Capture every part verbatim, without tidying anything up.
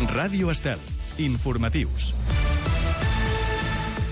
Ràdio Estel. Informatius.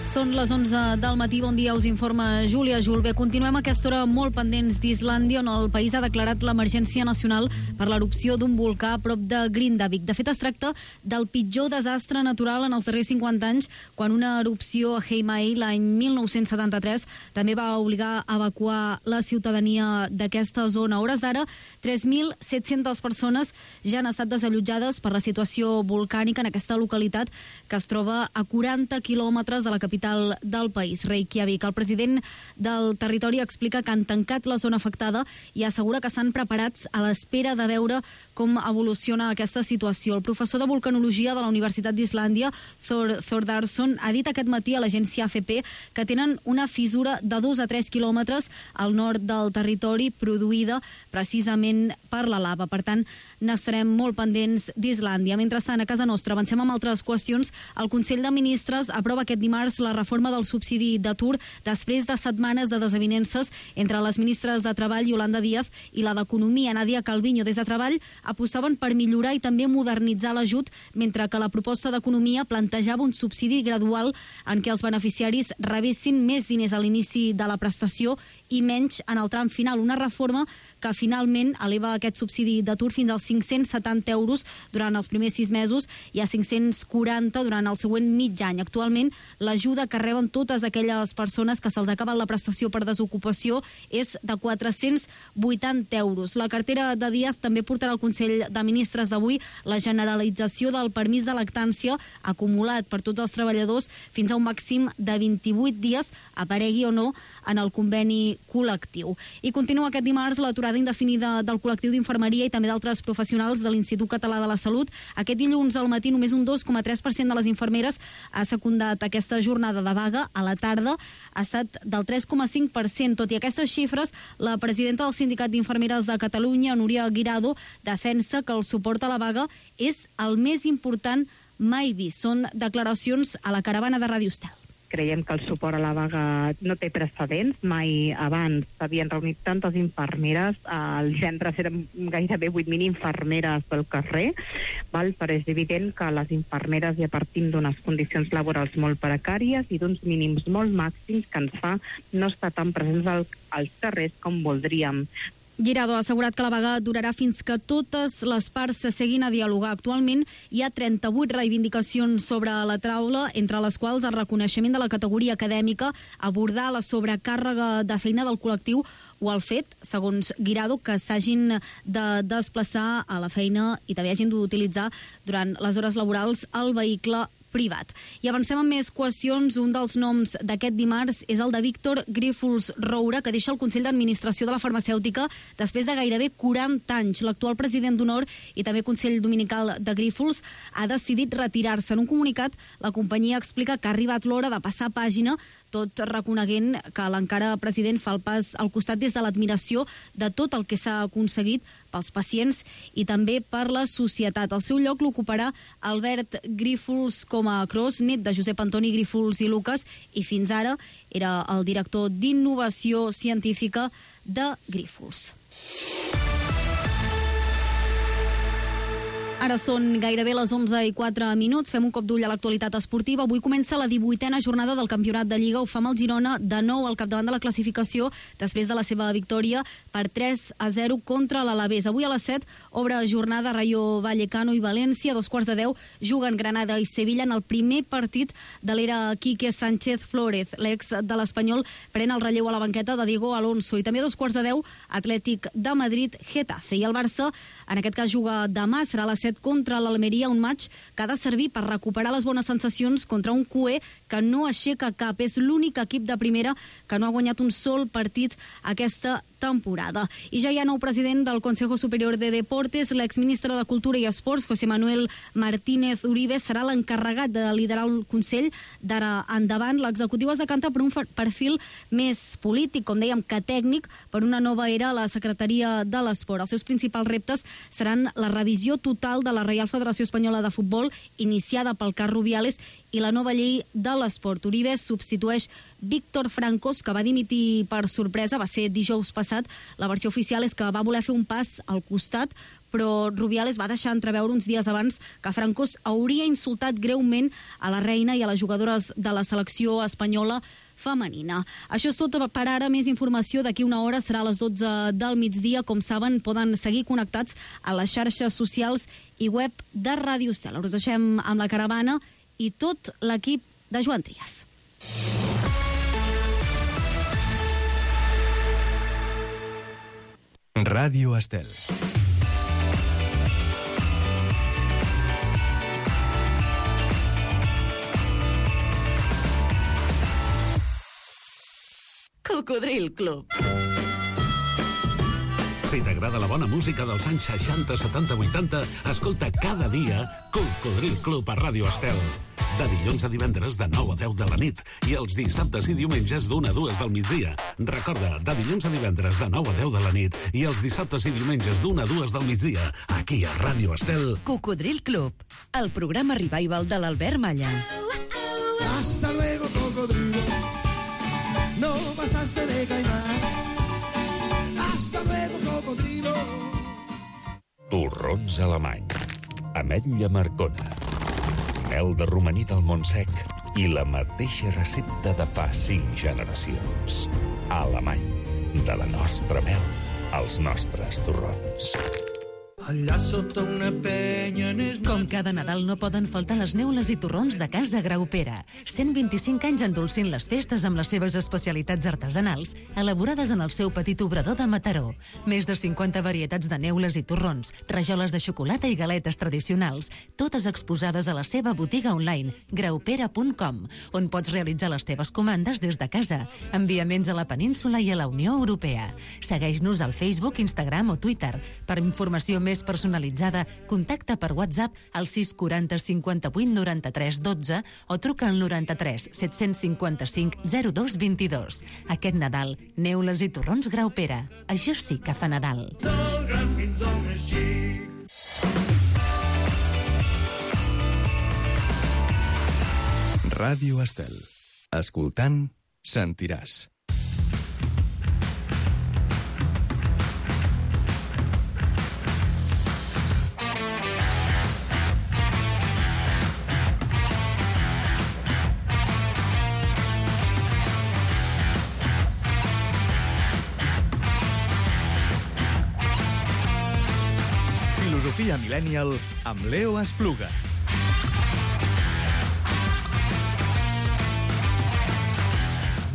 Són les onze del matí, bon dia, us informa Júlia Julve. Continuem a aquesta hora molt pendents d'Islàndia, on el país ha declarat l'emergència nacional per l'erupció d'un volcà a prop de Grindavik. De fet, es tracta del pitjor desastre natural en els darrers cinquanta anys, quan una erupció a Heimaey l'any mil nou-cents setanta-tres també va obligar a evacuar la ciutadania d'aquesta zona. A hores d'ara, tres mil set-centes persones ja han estat desallotjades per la situació volcànica en aquesta localitat que es troba a quaranta quilòmetres de la capital del país, Reykjavik. El president del territori explica que han tancat la zona afectada i assegura que estan preparats a l'espera de veure com evoluciona aquesta situació. El professor de vulcanologia de la Universitat d'Islàndia, Thor Thordarson, ha dit aquest matí a l'agència A F P que tenen una fissura de dos a tres quilòmetres al nord del territori produïda precisament per la lava. Per tant, n'estarem molt pendents d'Islàndia. Mentrestant, a casa nostra avancem amb altres qüestions. El Consell de Ministres aprova aquest dimarts la reforma del subsidi d'atur després de setmanes de desavinences entre les ministres de Treball, Yolanda Díaz, i la d'Economia, Nadia Calviño. Des de Treball apostaven per millorar i també modernitzar l'ajut, mentre que la proposta d'Economia plantejava un subsidi gradual en què els beneficiaris rebessin més diners a l'inici de la prestació i menys en el tram final. Una reforma que finalment eleva aquest subsidi d'atur fins als cinc-cents setanta euros durant els primers sis mesos i a cinc-cents quaranta durant el següent mig any. Actualment, l'ajuda que reben totes aquelles persones que se'ls acaba la prestació per desocupació és de quatre-cents vuitanta euros. La cartera de Díaz també portarà al Consell de Ministres d'avui la generalització del permís de lactància acumulat per tots els treballadors fins a un màxim de vint-i-vuit dies, aparegui o no en el conveni col·lectiu. I continua aquest dimarts l'aturada indefinida del col·lectiu d'infermeria i també d'altres professionals de l'Institut Català de la Salut. Aquest dilluns al matí només un dos coma tres per cent de les infermeres ha secundat aquesta jornada de vaga. A la tarda ha estat del tres coma cinc per cent. Tot i aquestes xifres, la presidenta del Sindicat d'Infermeres de Catalunya, Núria Guirado, defensa que el suport a la vaga és el més important mai vist. Són declaracions a la caravana de Ràdio Estel. Creiem que el suport a la vaga no té precedents. Mai abans s'havien reunit tantes infermeres. Els centres eren gairebé vuit mil infermeres pel carrer, val? Però és evident que les infermeres ja partim d'unes condicions laborals molt precàries i d'uns mínims molt màxims que ens fa no estar tan presents al, als carrers com voldríem. Guirado ha assegurat que la vaga durarà fins que totes les parts s'asseguin a dialogar. Actualment hi ha trenta-vuit reivindicacions sobre la taula, entre les quals el reconeixement de la categoria acadèmica, abordar la sobrecàrrega de feina del col·lectiu o el fet, segons Guirado, que s'hagin de desplaçar a la feina i també hagin d'utilitzar durant les hores laborals el vehicle privat. I avancem amb més qüestions. Un dels noms d'aquest dimarts és el de Víctor Grífols Roura, que deixa el Consell d'Administració de la Farmacèutica després de gairebé quaranta anys. L'actual president d'honor i també Consell Dominical de Grífols ha decidit retirar-se. En un comunicat, la companyia explica que ha arribat l'hora de passar pàgina, tot reconeguent que l'encara president fa el pas al costat des de l'admiració de tot el que s'ha aconseguit pels pacients i també per la societat. El seu lloc l'ocuparà Albert Grífols com a Cros, net de Josep Antoni Grífols i Lucas, i fins ara era el director d'innovació científica de Grífols. Ara són gairebé les onze i quatre minuts. Fem un cop d'ull a l'actualitat esportiva. Avui comença la divuitena jornada del Campionat de Lliga. Ho fa amb el Girona de nou al capdavant de la classificació després de la seva victòria per tres a zero contra l'Alavés. Avui a les set obre jornada Rayo Vallecano i València. A dos quarts de deu juguen Granada i Sevilla en el primer partit de l'era Quique Sánchez Flórez. L'ex de l'Espanyol pren el relleu a la banqueta de Diego Alonso. I també a dos quarts de deu Atlètic de Madrid Getafe. I el Barça, en aquest cas, juga demà, serà a les set contra l'Almeria, un match que ha de servir per recuperar les bones sensacions contra un C U E que no aixeca cap. És l'únic equip de primera que no ha guanyat un sol partit aquesta temporada. I ja hi ha nou president del Consejo Superior de Deportes. L'exministre de Cultura i Esports, José Manuel Martínez Uribe, serà l'encarregat de liderar el Consell d'ara endavant. L'executiu es decanta per un perfil més polític, com dèiem, que tècnic, per una nova era a la Secretaria de l'Esport. Els seus principals reptes seran la revisió total de la Reial Federació Espanyola de Futbol, iniciada pel cas Rubiales, i la nova llei de l'esport. Uribe substitueix Víctor Francos, que va dimitir per sorpresa, va ser dijous passat. La versió oficial és que va voler fer un pas al costat, però Rubiales va deixar entreveure uns dies abans que Francos hauria insultat greument a la reina i a les jugadores de la selecció espanyola femenina. Això és tot per ara. Més informació d'aquí una hora, serà a les dotze del migdia. Com saben, poden seguir connectats a les xarxes socials i web de Ràdio Estel. Us deixem amb la caravana i tot l'equip de Joan Trias. Ràdio Estel. Cocodril Club. Si t'agrada la bona música dels anys seixanta, setanta, vuitanta, escolta cada dia Cocodril Club a Ràdio Estel. De dilluns a divendres de nou a deu de la nit i els dissabtes i diumenges d'una a dues del migdia. Recorda, de dilluns a divendres de nou a deu de la nit i els dissabtes i diumenges d'una a dues del migdia, aquí a Ràdio Estel. Cocodril Club, el programa revival de l'Albert Malla. Hasta luego, cocodrilo. No pasaste de caimán. Hasta luego, cocodrilo. Torrons alemany. Ametlla Marcona. Mel de romaní del Montsec i la mateixa recepta de fa cinc generacions. Alemany. De la nostra mel als nostres torrons. Allà sota una penya... Com cada Nadal no poden faltar les neules i torrons de Casa Graupera. cent vint-i-cinc anys endolcint les festes amb les seves especialitats artesanals, elaborades en el seu petit obrador de Mataró. Més de cinquanta varietats de neules i torrons, rajoles de xocolata i galetes tradicionals, totes exposades a la seva botiga online, graupera punt com, on pots realitzar les teves comandes des de casa, enviaments a la península i a la Unió Europea. Segueix-nos al Facebook, Instagram o Twitter. Per informació més personalitzada, contacta per WhatsApp al sis quaranta cinquanta-vuit noranta-tres dotze o truca al noranta-tres set-cents cinquanta-cinc zero dos vint-i-dos. Aquest Nadal, neules i torrons Graupera. Això sí que fa Nadal. Del gran fins al més xic. Ràdio Estel. Escoltant, sentiràs. Filosofia Millennial amb Leo Espluga.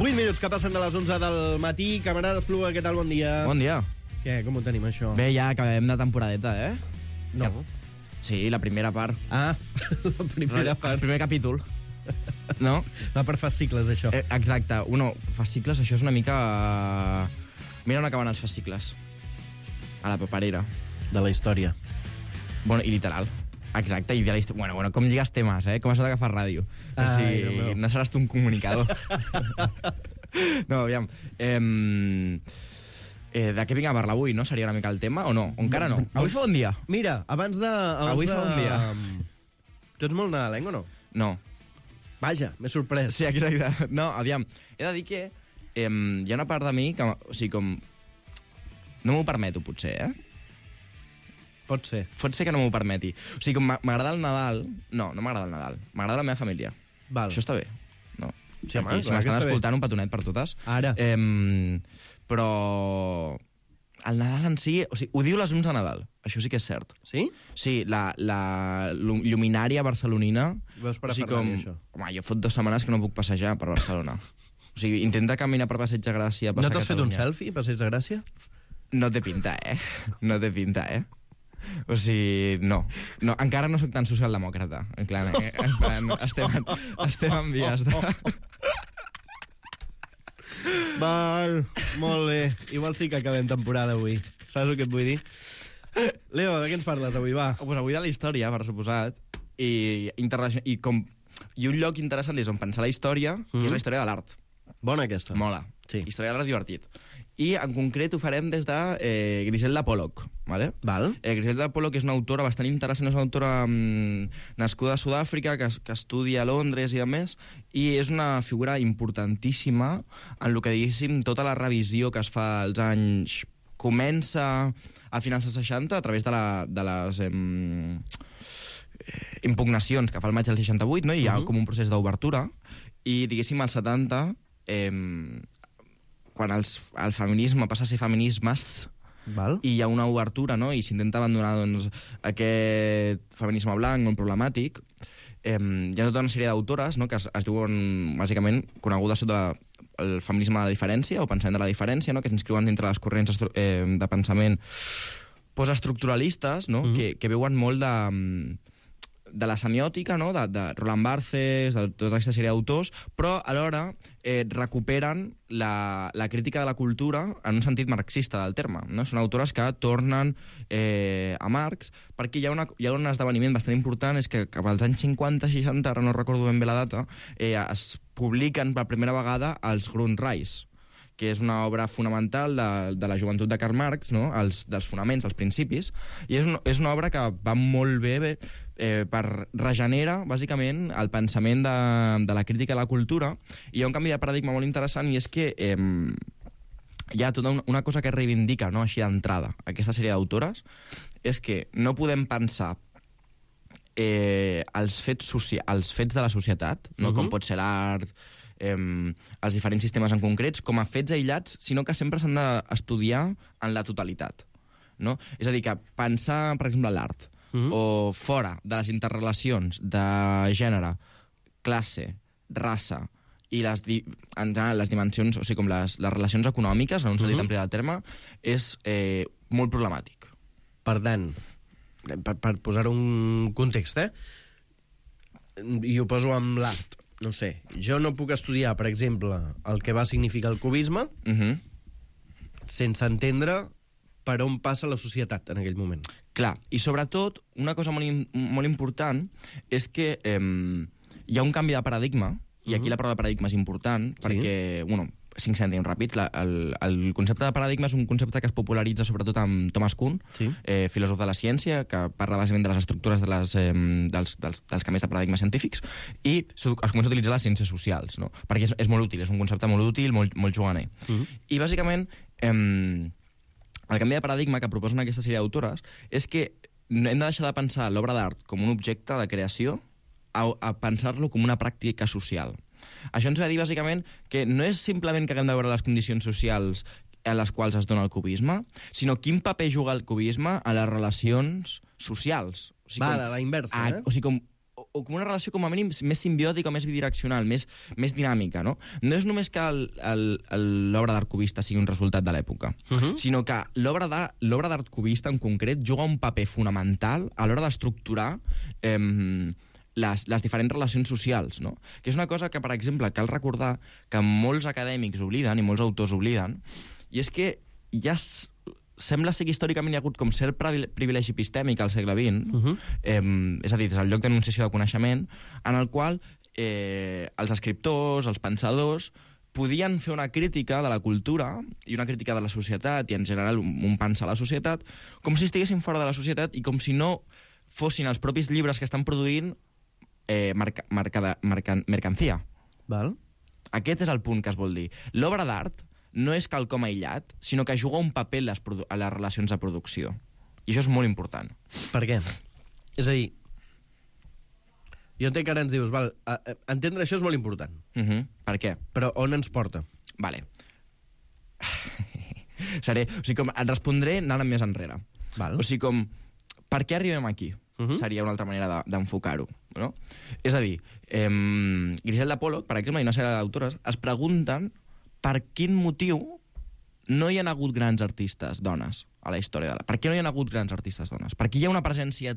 vuit minuts que passen de les onze del matí. Camarada Espluga, què tal? Bon dia. Bon dia. Què, com ho tenim, això? Bé, ja acabem de temporadeta, eh? No. Sí, la primera part. Ah, la primera El part. primer capítol. No? Va per fascicles, això. Eh, exacte. Uno, fascicles, això és una mica... Mira on acaben els fascicles. A la paperera. De la història. Bueno, i literal. Exacte, i de la història. Bueno, bueno, com lligues temes, eh? Com això d'agafar ràdio. O Ai, sigui, Déu meu. no seràs tu un comunicador. No, aviam. Eh, eh, de què vinc a parlar avui, no? Seria una mica el tema, o no? O encara no? Avui fa bon dia. Mira, abans de... Abans Avui de... fa bon dia. Tu ets molt nadalenc o no? No. Vaja, m'he sorprès. Sí, exacte. No, aviam, he de dir que eh, hi ha una part de mi que, o sigui, com... No m'ho permeto, potser, eh? Pot ser. Pot ser que no m'ho permeti. O sigui, com m'agrada el Nadal... No, no m'agrada el Nadal. M'agrada la meva família. Val. Això està bé. No. Sí, home, Aquí, si clar que m'estan està bé. escoltant, un petonet per totes. Ara. Eh, però... El Nadal en si... O sigui, ho diu les llums de Nadal. Això sí que és cert. Sí? Sí, la, la lluminària barcelonina... Veus per a o sigui, Ferrari, com... això. Home, jo fot dues setmanes que no puc passejar per Barcelona. O sigui, intenta caminar per Passeig de Gràcia, No passar t'has fet un Catalunya. selfie, passeig de Gràcia? No té pinta, eh? No té pinta, eh? O sigui, no. no encara no sóc tan socialdemòcrata. En plan, eh? en plan estem, en, estem en vies de... Val, molt bé. Igual sí que acabem temporada avui. Saps el que et vull dir? Leo, de què ens parles avui, va? Pues avui de la història, per suposat, i, interna- i, com, i un lloc interessant és on pensar la història, mm. que és la història de l'art. Bona aquesta. Mola. Sí. Història de l'art divertit. I en concret ho farem des de eh, Griselda Pollock. Vale? Val. Eh, Griselda Pollock és una autora bastant interessant, és una autora mm, nascuda a Sud-àfrica, que, que estudia a Londres i a més, i és una figura importantíssima en el que, diguéssim, tota la revisió que es fa als anys... Comença a finals dels seixanta a través de, la, de les em, impugnacions que fa el maig del seixanta-vuit, no? I hi ha uh-huh. com un procés d'obertura, i, diguéssim, als setanta, em, quan els, el feminisme passa a ser feminismes, Val. i hi ha una obertura, no? I s'intenta abandonar doncs, aquest feminisme blanc, molt problemàtic. Eh, hi ha tota una sèrie d'autores, no? Que es, es diuen, bàsicament, conegudes sota el feminisme de la diferència, o pensament de la diferència, no? Que s'inscriuen dintre les corrents eh, de pensament postestructuralistes, no? Mm-hmm. que, que veuen molt de... de la semiòtica, no? de, de Roland Barthes, de tota aquesta sèrie d'autors, però alhora eh, recuperen la, la crítica de la cultura en un sentit marxista del terme. No? Són autores que tornen eh, a Marx, perquè hi ha, una, hi ha un esdeveniment bastant important, és que cap als anys cinquanta seixanta, ara no recordo ben bé la data, eh, es publiquen per primera vegada els Grundrisse, que és una obra fonamental de, de la joventut de Karl Marx, no? els, dels fonaments, els principis, i és, un, és una obra que va molt bé, bé eh, per regenera, bàsicament, el pensament de, de la crítica a la cultura, i hi ha un canvi de paradigma molt interessant, i és que eh, hi ha tota una, una cosa que reivindica, no? així d'entrada, aquesta sèrie d'autores, és que no podem pensar eh, els, fets socia els fets de la societat, no? Uh-huh. Com pot ser l'art, Eh, els diferents sistemes en concrets, com a fets aïllats, sinó que sempre s'han d'estudiar en la totalitat. No? És a dir, que pensar, per exemple, l'art, mm-hmm. o fora de les interrelacions de gènere, classe, raça, i les, di en general, les dimensions, o sigui, com les, les relacions econòmiques, en un sentit mm-hmm. ampli del terme, és eh, molt problemàtic. Per tant, per, per posar un context, eh? I ho poso amb l'art. No sé, jo no puc estudiar, per exemple, el que va significar el cubisme uh-huh. sense entendre per on passa la societat en aquell moment. Clar, i sobretot, una cosa molt, molt important és que eh, hi ha un canvi de paradigma, i aquí uh-huh. la paraula de paradigma és important, sí. perquè, bueno, cinc cèntims ràpid, la, el, el concepte de paradigma és un concepte que es popularitza sobretot amb Thomas Kuhn, sí. eh, filòsof de la ciència, que parla bàsicament de les estructures de les, eh, dels, dels, dels canvis de paradigmes científics, i es comença a utilitzar les ciències socials, no? Perquè és, és molt útil, és un concepte molt útil, molt, molt juganer. Uh-huh. I bàsicament, eh, el canvi de paradigma que proposen aquesta sèrie d'autores és que hem de deixar de pensar l'obra d'art com un objecte de creació a, a pensar-lo com una pràctica social. Això ens va dir, bàsicament, que no és simplement que haguem de veure les condicions socials en les quals es dona el cubisme, sinó quin paper juga el cubisme a les relacions socials. O sigui, va, com, a la inversa, a, eh? O sigui, com, o, o com una relació com a mínim més simbiòtica, més bidireccional, més, més dinàmica, no? No és només que l'obra d'art cubista sigui un resultat de l'època, uh-huh. sinó que l'obra d'art cubista, en concret, juga un paper fonamental a l'hora d'estructurar eh, Les, les diferents relacions socials, no? Que és una cosa que, per exemple, cal recordar que molts acadèmics obliden, i molts autors obliden, i és que ja s... sembla ser que històricament hi ha hagut com cert privilegi epistèmic al segle vint, uh-huh. eh, és a dir, des del lloc d'enunciació de coneixement, en el qual eh, els escriptors, els pensadors, podien fer una crítica de la cultura i una crítica de la societat, i en general un, un pensar a la societat, com si estiguessin fora de la societat i com si no fossin els propis llibres que estan produint Eh, marca, marca, marca, mercancia. Val. Aquest és el punt que es vol dir. L'obra d'art no és quelcom aïllat, sinó que juga un paper en les, a les relacions de producció. I això és molt important. Per què? És a dir, jo entenc que ara ens dius, val, a, a, entendre això és molt important. Uh-huh. Per què? Però on ens porta? Vale. Seré... O sigui, com et respondré anant més enrere. Val. O sigui, com... Per què arribem aquí? Uh-huh. Seria una altra manera d'enfocar-ho. No? És a dir, eh, Griselda Pollock, per exemple, i una sèrie d'autores, es pregunten per quin motiu no hi ha hagut grans artistes dones a la història de l'art. Per què no hi ha hagut grans artistes dones? Per què hi ha una presència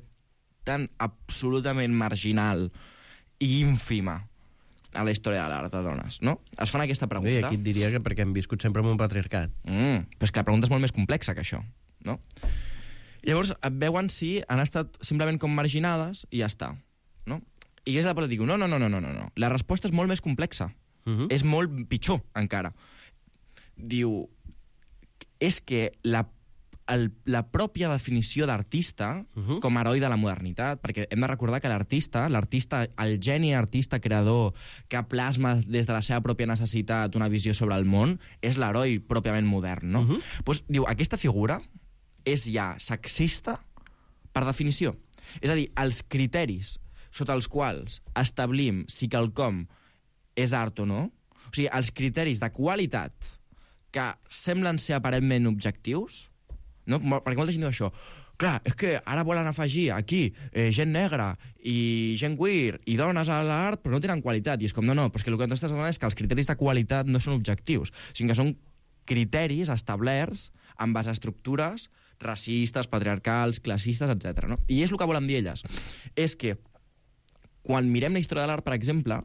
tan absolutament marginal i ínfima a la història de l'art de dones, no? Es fan aquesta pregunta. Bé, aquí et diria que perquè hem viscut sempre en un patriarcat. Mm, però és que la pregunta és molt més complexa que això, no? Llavors et veuen si han estat simplement com marginades i ja està, no? I Griselda Pollock diu, no, no, no, no, no, no. La resposta és molt més complexa. Uh-huh. És molt pitjor, encara. Diu, és que la, el, la pròpia definició d'artista uh-huh. com a heroi de la modernitat, perquè hem de recordar que l'artista, l'artista, el geni artista creador que plasma des de la seva pròpia necessitat una visió sobre el món, és l'heroi pròpiament modern, no? Uh-huh. Pues, diu, aquesta figura és ja sexista per definició. És a dir, els criteris sota els quals establim si quelcom és art o no, o sigui, els criteris de qualitat que semblen ser aparentment objectius, no? Perquè molta gent diu això, clar, és que ara volen afegir aquí eh, gent negra i gent queer i dones a l'art, però no tenen qualitat. I és com, no, no, però és que el que t'estàs donant és que els criteris de qualitat no són objectius, sinó que són criteris establerts amb base a estructures racistes, patriarcals, classistes, etcètera. No? I és el que volen dir elles. És que quan mirem la història de l'art, per exemple,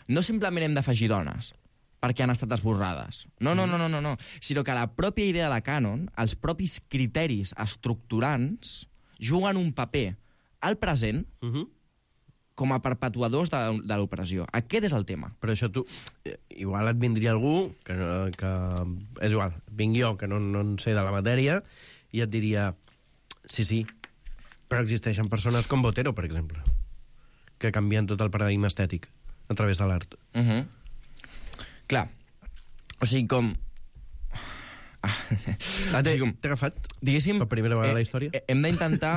no simplement hem d'afegir dones, perquè han estat esborrades. No, no, no, no, no, no. Sinó que la pròpia idea de cànon, els propis criteris estructurants, juguen un paper al present uh-huh. com a perpetuadors de, de l'opressió. Aquest és el tema. Però això tu... Igual et vindria algú, que, que és igual, vinc jo, que no, no en sé de la matèria, i et diria, sí, sí, però existeixen persones com Botero, per exemple, que canvien tot el paradigma estètic a través de l'art. Uh-huh. Clar, o sigui, com... Ah, t'he agafat diguéssim, per primera vegada eh, a la història? Eh, hem d'intentar...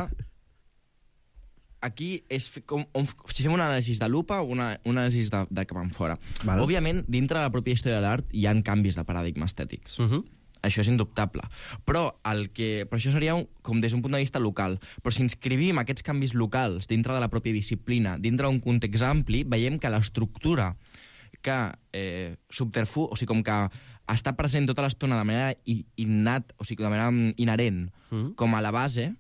Aquí és com, on, si fem una anàlisi de lupa o una, una anàlisi de, de cap enfora. Vale. Òbviament, dintre de la pròpia història de l'art hi ha canvis de paradigma estètics. Uh-huh. Això és indubtable. Però, el que, però això seria un, com des d'un punt de vista local. Però si inscrivim aquests canvis locals dintre de la pròpia disciplina, dintre d'un context ampli, veiem que l'estructura que eh, subterfu, o sigui, com que està present tota l'estona de manera innat, o sigui, de manera inherent, mm. com a la base,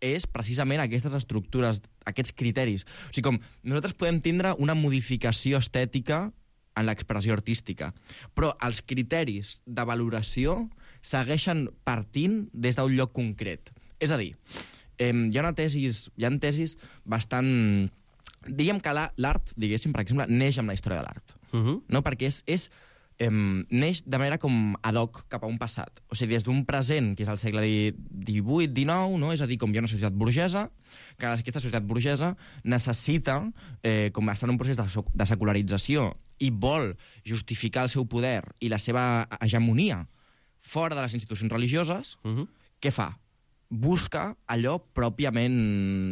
és precisament aquestes estructures, aquests criteris. O sigui, com nosaltres podem tindre una modificació estètica en l'expressió artística, però els criteris de valoració segueixen partint des d'un lloc concret. És a dir, eh, hi ha una tesis, hi ha tesis bastant... Diríem que l'art, diguéssim, per exemple, neix amb la història de l'art. Uh-huh. No? Perquè és, és, eh, neix de manera com ad hoc cap a un passat. O sigui, des d'un present, que és el segle divuit dinou, no? És a dir, com hi ha una societat burgesa, que aquesta societat burgesa necessita, eh, com estar en un procés de, de secularització, i vol justificar el seu poder i la seva hegemonia fora de les institucions religioses, uh-huh. Què fa? Busca allò pròpiament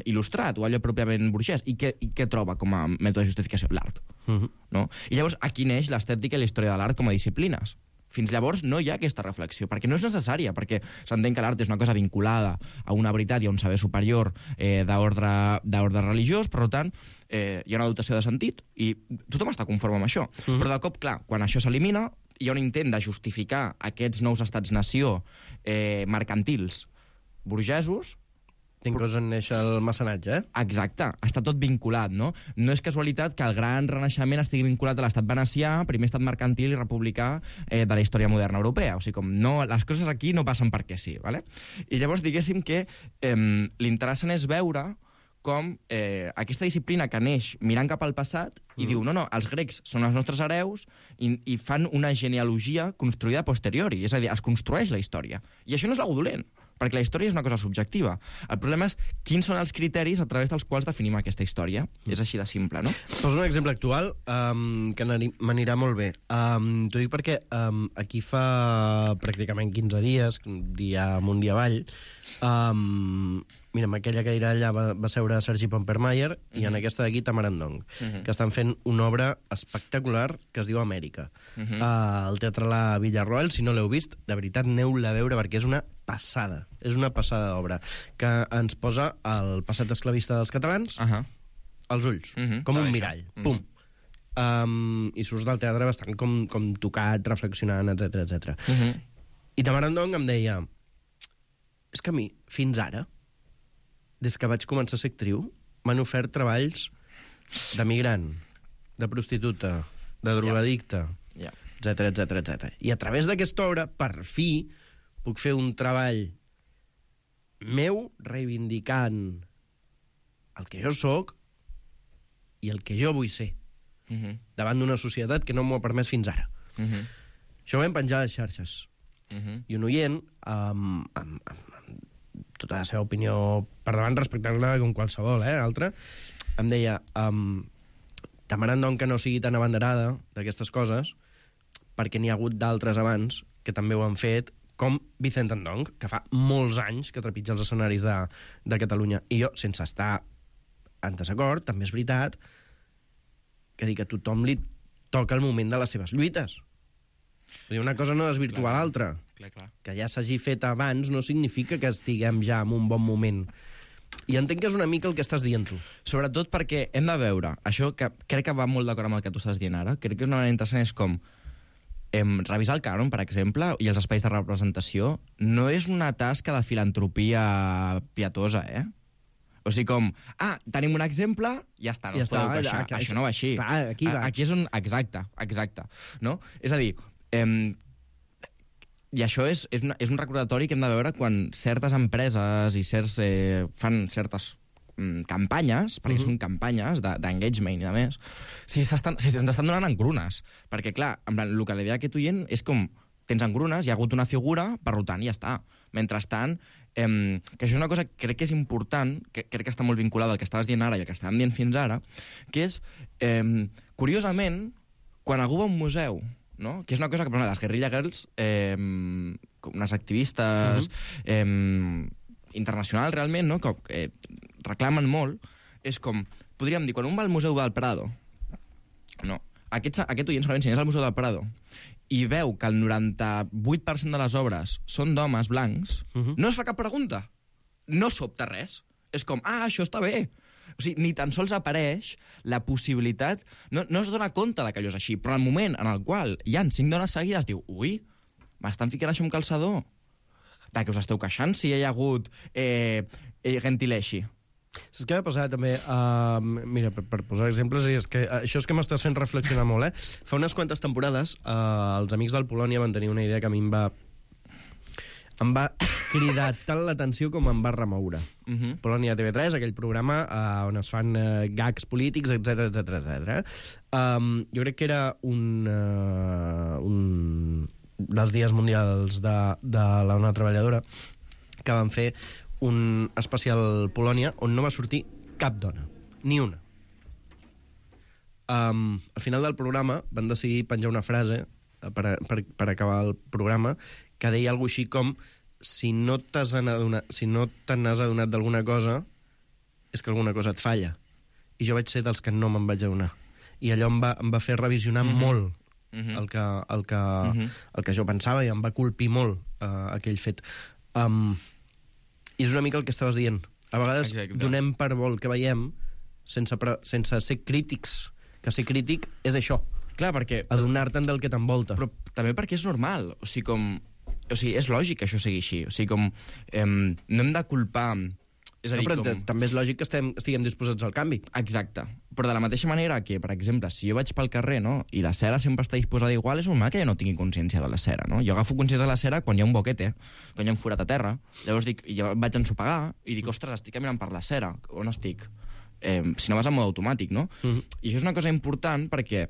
il·lustrat o allò pròpiament burgès. I què, i què troba com a mètode de justificació? L'art. Uh-huh. No? I llavors aquí neix l'estètica i la història de l'art com a disciplines. Fins llavors no hi ha aquesta reflexió, perquè no és necessària, perquè s'entén que l'art és una cosa vinculada a una veritat i a un saber superior eh, d'ordre religiós, per tant, eh, hi ha una dotació de sentit i tothom està conforme amb això. Uh-huh. Però de cop, clar, quan això s'elimina, hi ha un intent de justificar aquests nous estats-nació eh, mercantils burgesos. T'inclús en néixer el mecenatge, eh? Exacte, està tot vinculat, no? No és casualitat que el gran renaixement estigui vinculat a l'estat venecià, primer estat mercantil i republicà eh, de la història moderna europea. O sigui, com no, les coses aquí no passen perquè sí, ¿vale? I llavors diguéssim que eh, l'interessant és veure com eh, aquesta disciplina que neix mirant cap al passat i mm. diu, no, no, els grecs són els nostres hereus i, i fan una genealogia construïda a posteriori, és a dir, es construeix la història. I això no és algo dolent, perquè la història és una cosa subjectiva. El problema és quins són els criteris a través dels quals definim aquesta història. Mm. És així de simple, no? Poso un exemple actual um, que m'anirà molt bé. Um, T'ho dic perquè um, aquí fa pràcticament quinze dies, dia amunt, dia avall, um, mira, en aquella cadira allà va, va seure Sergi Pompermayer mm-hmm. i en aquesta d'aquí Tamarandong, mm-hmm. que estan fent una obra espectacular que es diu Amèrica. Mm-hmm. Uh, el Teatre La Villarroel, si no l'heu vist, de veritat, aneu-la a veure perquè és una passada. És una passada d'obra que ens posa el passat esclavista dels catalans uh-huh. als ulls, mm-hmm. com un mirall. Mm-hmm. Pum. Um, I surts del teatre bastant com, com tocat, reflexionant, etcètera, etcètera. Mm-hmm. I Tamarandong em deia, és que a mi, fins ara, des que vaig començar a ser actriu, m'han ofert treballs de migrant, de prostituta, de drogadicte, yeah. Yeah. etcètera, etcètera, etcètera. I a través d'aquesta obra, per fi, puc fer un treball meu reivindicant el que jo sóc i el que jo vull ser uh-huh. davant d'una societat que no m'ho ha permès fins ara. Uh-huh. Això ho vam penjar a les xarxes. uh-huh. i un oient, amb, amb, amb tota la seva opinió per davant, respectant-la com qualsevol, eh, altra, em deia, um, t'amaran doncs que no sigui tan abanderada d'aquestes coses, perquè n'hi ha hagut d'altres abans que també ho han fet, com Vicent Andong, que fa molts anys que trepitja els escenaris de, de Catalunya. I jo, sense estar en desacord, també és veritat que dic que a tothom li toca el moment de les seves lluites. Una cosa no desvirtua l'altra. Que ja s'hagi fet abans no significa que estiguem ja en un bon moment. I entenc que és una mica el que estàs dient tu. Sobretot perquè hem de veure, això que crec que va molt d'acord amb el que tu estàs dient ara, crec que és una manera interessant, és com em, revisar el cànon, per exemple, i els espais de representació, no és una tasca de filantropia pietosa, eh? O sigui, com, ah, tenim un exemple, ja està, no ja us podeu està, queixar. aquí, Això no va així. Va, aquí va. Aquí és un... Exacte, exacte. No? És a dir, em, i això és, és, una, és un recordatori que hem de veure quan certes empreses i certs eh, fan certes mm, campanyes, perquè uh-huh. són campanyes d'engagement de, i de més, si, si ens estan donant engrunes. Perquè, clar, en plan, el que la idea que tu dient és com, tens engrunes, hi ha hagut una figura, per tant, i ja està. Mentrestant, eh, que això és una cosa que crec que és important, que crec que està molt vinculada al que estaves dient ara i al que estàvem dient fins ara, que és, eh, curiosament, quan algú va a un museu, no? Que és una cosa que, per exemple, les Guerrilla Girls, eh, unes activistes uh-huh. eh, internacionals realment, no? Que eh, reclamen molt, és com, podríem dir, quan un va al Museu del Prado, no, aquest, aquest oient segurament si anés al Museu del Prado i veu que el noranta-vuit per cent de les obres són d'homes blancs, uh-huh. no es fa cap pregunta. No sobta res. És com, ah, això està bé. O sigui, ni tan sols apareix la possibilitat... No, no es dona compte que allò és així, però en el moment en el qual hi ha cinc dones seguides, diu, ui, m'estan ficant això amb calçador. De què us esteu queixant si hi ha hagut eh, eh, gentileixi? Saps què va passar també? Uh, mira, per, per posar exemples, és que uh, això és que m'estàs fent reflexionar molt, eh? Fa unes quantes temporades, uh, els amics del Polònia van tenir una idea que a mi em va... em va cridar tant l'atenció com em va remoure. Uh-huh. Polònia T V tres, aquell programa uh, on es fan uh, gags polítics, etcètera, etcètera, etcètera. Um, jo crec que era un, uh, un dels dies mundials de, de la dona treballadora que van fer un especial Polònia on no va sortir cap dona, ni una. Um, al final del programa van decidir penjar una frase per, per, per acabar el programa que deia alguna així com si no t'has adonat, si no te n'has adonat d'alguna cosa és que alguna cosa et falla. I jo vaig ser dels que no me'n vaig adonar. I allò em va, em va fer revisionar mm-hmm. molt mm-hmm. el, que, el, que, mm-hmm. el que jo pensava i em va colpir molt uh, aquell fet. Um, I és una mica el que estaves dient. A vegades Exacte. donem per bo el que veiem sense, pre, sense ser crítics. Que ser crític és això. Clar, perquè... adonar-te'n del que t'envolta. Però també perquè és normal. O sigui, com... O sigui, és lògic que això sigui així. O sigui, com... Eh, no hem de culpar... És a dir, no, però com... també és lògic que estem, estiguem disposats al canvi. Exacte. Però de la mateixa manera que, per exemple, si jo vaig pel carrer, no?, i la cera sempre està disposada igual, és normal que jo no tingui consciència de la cera, no? Jo agafo consciència de la cera quan hi ha un boquete, quan hi ha un forat a terra. Llavors dic, jo vaig ensopegar i dic, ostres, estic caminant per la cera. On estic? Eh, si no vas en mode automàtic, no? Mm-hmm. I això és una cosa important perquè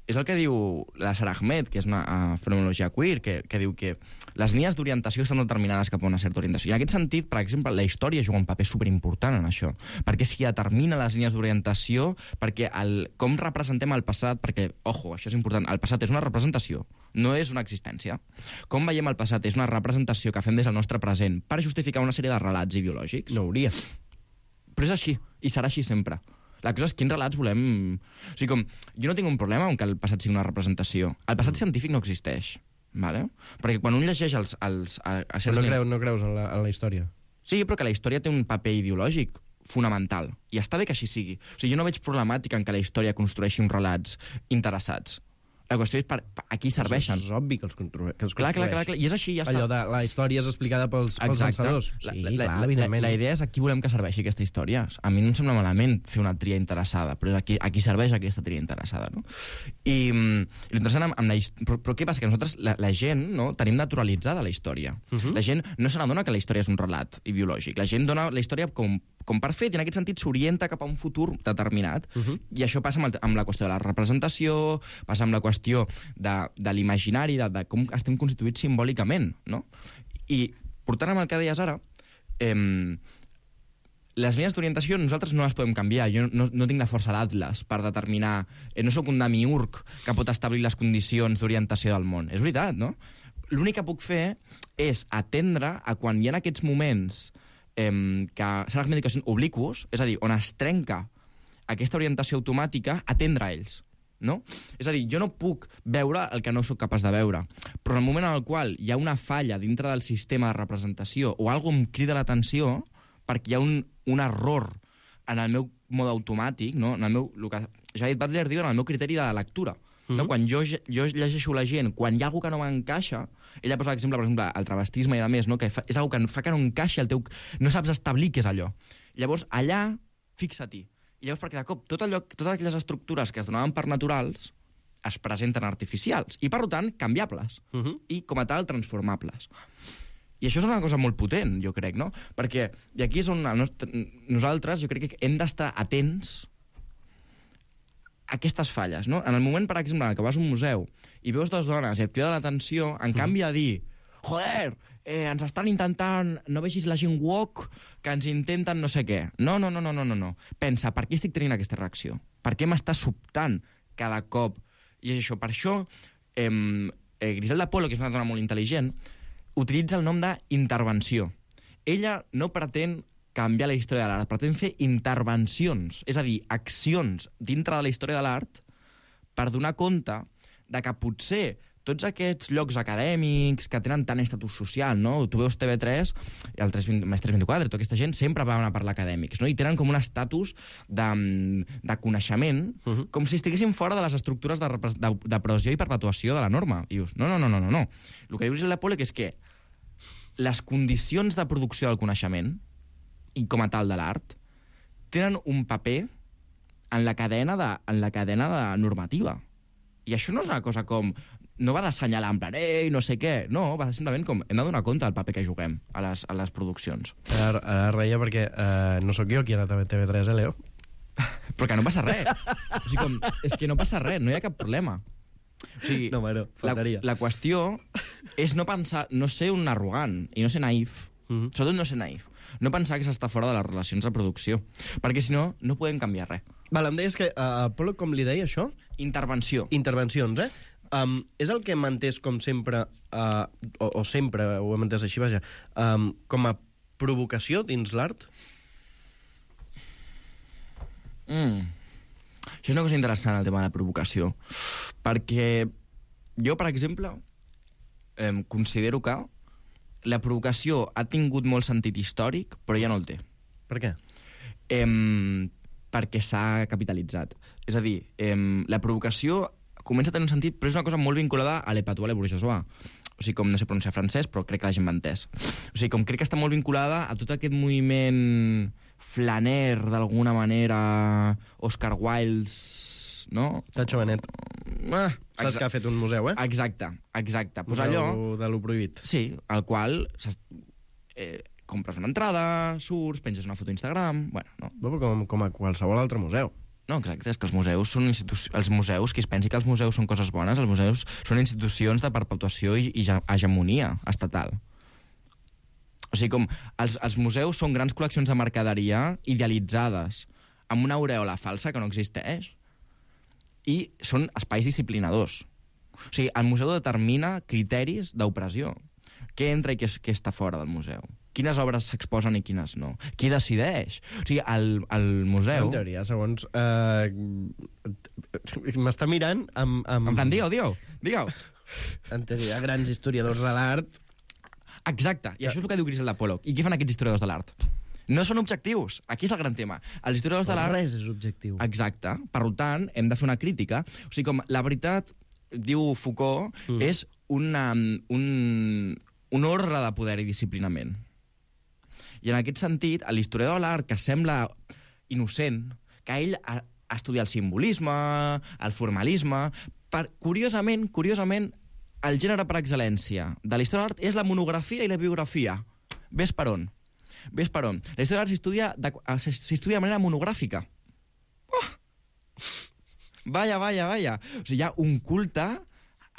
és el que diu la Sara Ahmed, que és una uh, fenomenologia queer, que, que diu que les línies d'orientació estan determinades cap a una certa orientació. I en aquest sentit, per exemple, la història juga un paper superimportant en això, perquè si determina les línies d'orientació, perquè el, com representem el passat, perquè, ojo, això és important, el passat és una representació, no és una existència. Com veiem el passat és una representació que fem des del nostre present per justificar una sèrie de relats ideològics. No hauria. Però és així, i serà així sempre. La cosa és quins relats volem... O sigui, com, jo no tinc un problema amb que el passat sigui una representació. El passat mm. científic no existeix, vale? Perquè quan un llegeix els... els a, a no, creus, no creus en la, en la història? Sí, però que la història té un paper ideològic fonamental. I està bé que així sigui. O sigui, jo no veig problemàtica en que la història construeixi uns relats interessats. La qüestió és per, per a qui serveixen. És obvi que els, constru que els clar, clar, clar, clar, i és així, ja està. Allò de la història és explicada pels, pels vencedors. La, sí, la, clar, la, evidentment. La, la idea és a qui volem que serveixi aquesta història. A mi no em sembla malament fer una tria interessada, però és a qui, a qui serveix aquesta tria interessada, no? I, i l'interessant amb, amb la història... Però, però què passa? Que nosaltres, la, la gent, no, tenim naturalitzada la història. Uh-huh. La gent no se n'adona que la història és un relat ideològic. La gent dona la història com, com per fet, i en aquest sentit s'orienta cap a un futur determinat. Uh-huh. I això passa amb, el, amb la qüestió de la representació, passa amb la qüestió de, de l'imaginari, de, de com estem constituïts simbòlicament, no? I portant amb el que deies ara, eh, les línies d'orientació nosaltres no les podem canviar. Jo no, no tinc la força d'Atlas per determinar... Eh, no sóc un demiurg que pot establir les condicions d'orientació del món. És veritat, no? L'únic que puc fer és atendre a quan hi ha aquests moments eh, que són les medicacions obliquos, és a dir, on es trenca aquesta orientació automàtica, atendre a ells. No? És a dir, jo no puc veure el que no sóc capaç de veure, però en el moment en el qual hi ha una falla dintre del sistema de representació o alguna cosa em crida l'atenció perquè hi ha un, un error en el meu mode automàtic, no? En el meu, el que Judith Butler diu en el meu criteri de lectura. Mm-hmm. No? Quan jo, jo llegeixo la gent, quan hi ha alguna que no m'encaixa, ella posa l'exemple, per exemple, el travestisme i de més, no? Que fa, és una que fa que no encaixa el teu... No saps establir què és allò. Llavors, allà, fixa-t'hi. I llavors, perquè de cop, tot allò, totes aquelles estructures que es donaven per naturals es presenten artificials i, per tant, canviables. Mm-hmm. I, com a tal, transformables. I això és una cosa molt potent, jo crec, no? Perquè, i aquí és on el nostre, nosaltres, jo crec que hem d'estar atents a aquestes falles, no? En el moment, per exemple, que vas a un museu i veus dues dones i et crida l'atenció, en mm. canvi de dir, joder, eh, ens estan intentant, no vegis la gent woke, que ens intenten no sé què. No, no, no, no, no, no, no. Pensa, per què estic tenint aquesta reacció? Per què m'està sobtant cada cop? I és això, per això, eh, eh, Griselda Polo, que és una dona molt intel·ligent, utilitza el nom d'intervenció. Ella no pretén canviar la història de l'art, pretén fer intervencions, és a dir, accions dintre de la història de l'art per donar compte de que potser tots aquests llocs acadèmics que tenen tant estatus social, no? Tu veus T V tres, el tres vint, tres vint-i-quatre, tota aquesta gent sempre van a parlar acadèmics, no? I tenen com un estatus de, de coneixement, uh-huh. com si estiguessin fora de les estructures de, de, de pressió i perpetuació de la norma. I dius, no, no, no, no, no, no. El que diu Griselda Polo és que les condicions de producció del coneixement, i com a tal de l'art, tenen un paper en la cadena de, en la cadena de normativa. I això no és una cosa com... No va d'assenyalar en plan, ei, no sé què. No, va simplement com... Hem de donar compte del paper que juguem a les, a les produccions. Ara, ara reia perquè uh, no sóc jo qui ha anat a T V tres, eh, Leo? Però que no passa res. O sigui, com, és que no passa res, no hi ha cap problema. O sigui, no, bueno, faltaria. La, la qüestió és no pensar, no ser un arrogant i no ser naïf. Mm-hmm. Sobretot no ser naïf. No pensar que s'està fora de les relacions de producció. Perquè, si no, no podem canviar res. Val, em deies que a uh, Polo, com li deia això? Intervenció. Intervencions, eh? Um, és el que hem entès com sempre, uh, o, o sempre ho hem entès així, vaja, um, com a provocació dins l'art? Mm. Això és una cosa interessant, el tema de la provocació. Perquè jo, per exemple, eh, considero que la provocació ha tingut molt sentit històric, però ja no el té. Per què? Eh, perquè s'ha capitalitzat. És a dir, eh, la provocació comença a tenir un sentit, però és una cosa molt vinculada a l'épatois, a l'ebourgeois. O sigui, com no sé pronunciar francès, però crec que la gent m'ha entès. O sigui, com crec que està molt vinculada a tot aquest moviment flaner, d'alguna manera, Oscar Wilde, no? Tacho Benet. Ah, Saps que ha fet un museu, eh? Exacte, exacte. Pues museu allò... de lo prohibit. Sí, al qual eh, compres una entrada, surts, penges una foto a Instagram... Bueno, no. Però com, com a qualsevol altre museu. No, exacte, és que els museus són institucions... Els museus, qui es pensi que els museus són coses bones, els museus són institucions de perpetuació i, i hegemonia estatal. O sigui, com els, els museus són grans col·leccions de mercaderia idealitzades, amb una aureola falsa que no existeix, i són espais disciplinadors. O sigui, el museu determina criteris d'opressió. Què entra i què, què està fora del museu? Quines obres s'exposen i quines no? Qui decideix? O sigui, el, el museu... En teoria, segons... Uh, M'està mirant amb... amb... En plan, digueu, digueu, digueu. En teoria, grans historiadors de l'art... Exacte, i això és el que diu Griselda Polo. I què fan aquests historiadors de l'art? No són objectius. Aquí és el gran tema. Els historiadors de l'art... Res és objectiu. Exacte. Per tant, hem de fer una crítica. O sigui, com la veritat, diu Foucault, mm. és una, un, un ordre de poder i disciplinament. I en aquest sentit, l'historiador de l'art, que sembla innocent, que ell ha, ha estudiat el simbolisme, el formalisme... Per, curiosament, curiosament, el gènere per excel·lència de la història de l'art és la monografia i la biografia. Ves per on. Ves per on? La història de l'art s'estudia de, s'estudia de manera monogràfica. Oh! Vaya, vaya, vaya. O sigui, hi ha un culte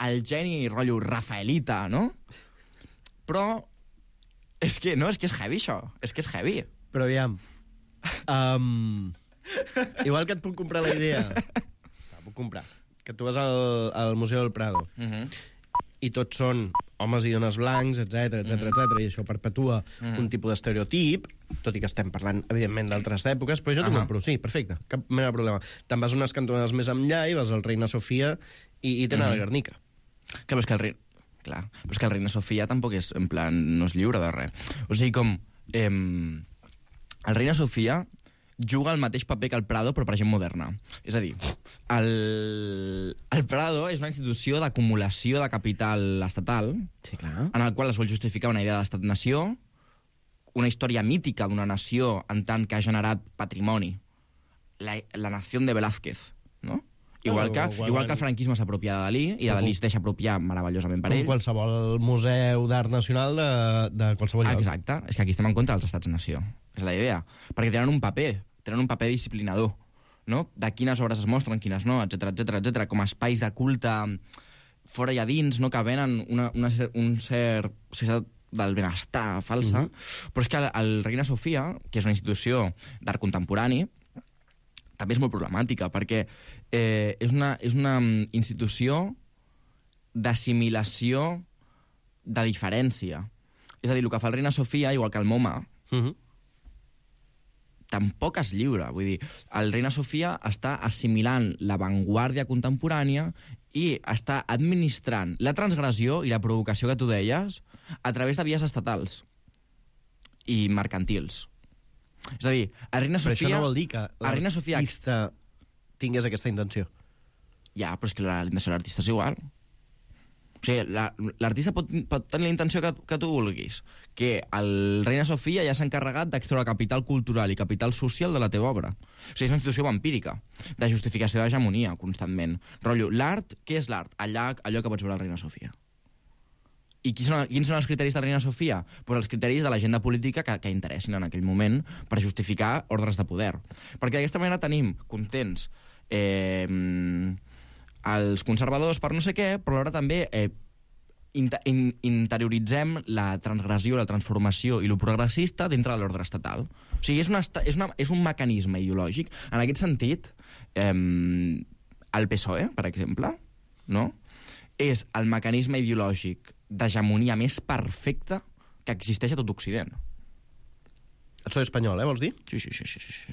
al geni rotllo rafaelita, no? Però és que, no, és que és heavy, això. És que és heavy. Però aviam... Um, igual que et puc comprar la idea... La puc comprar. Que tu vas al, al Museu del Prado Uh-huh. i tots són homes i dones blancs, etcètera, etcètera, etcètera, i això perpetua Uh-huh. un tipus d'estereotip, tot i que estem parlant, evidentment, d'altres èpoques, però jo t'ho Uh-huh. compro, sí, perfecte, cap mena de problema. Te'n vas unes cantonades més enllà i vas al Reina Sofia i, i tenen Uh-huh. la Guernica. Clar, però és que el rei... Clar, però és que el Reina Sofia tampoc és, en plan, no és lliure de res. O sigui, com... Eh, el Reina Sofia juga el mateix paper que el Prado, però per gent moderna. És a dir, el, el Prado és una institució d'acumulació de capital estatal, Sí, clar. en el qual es vol justificar una idea d'estat-nació, una història mítica d'una nació en tant que ha generat patrimoni. La, la nació de Velázquez, no? Igual que, igual, igual que el franquisme s'apropia de Dalí, i de Dalí es deixa apropiar meravellosament per Com ell. qualsevol museu d'art nacional de, de qualsevol lloc. Exacte, és que aquí estem en contra dels estats-nació. És la idea. Perquè tenen un paper, tenen un paper disciplinador, no? De quines obres es mostren, quines no, etcètera, etcètera, etcètera, com a espais de culte fora i a dins, no? Que venen una, una, un cert societat del benestar falsa, uh -huh. però és que el, el Reina Sofia, que és una institució d'art contemporani, també és molt problemàtica, perquè eh, és, una, és una institució d'assimilació de diferència. És a dir, el que fa el Reina Sofia, igual que el MoMA, Uh -huh. tampoc és lliure. Vull dir, el Reina Sofia està assimilant l'avantguàrdia contemporània i està administrant la transgressió i la provocació que tu deies a través de vies estatals i mercantils. És a dir, el Reina Però Sofia... això no vol dir que el Reina Sofia... l'artista tingués aquesta intenció. Ja, però és que la intenció de l'artista és igual. O sigui, la- l'artista pot, pot tenir la intenció que, que tu vulguis. Que el Reina Sofia ja s'ha encarregat d'extreure capital cultural i capital social de la teva obra. O sigui, és una institució vampírica, de justificació d'hegemonia, constantment. Rotllo, l'art, què és l'art? Allà, allò que pots veure al Reina Sofia. I quins són, quins són els criteris de la Reina Sofia? Pues els criteris de l'agenda política que, que interessin en aquell moment per justificar ordres de poder. Perquè d'aquesta manera tenim contents eh, els conservadors per no sé què, però alhora també eh, inter in interioritzem la transgressió, la transformació i lo progressista dintre de l'ordre estatal. O sigui, és, una, és, una, és un mecanisme ideològic. En aquest sentit, eh, el P S O E, per exemple, no? És el mecanisme ideològic d'hegemonia més perfecte que existeix a tot Occident. El P S O E espanyol, eh, vols dir? Sí, sí, sí, sí, sí.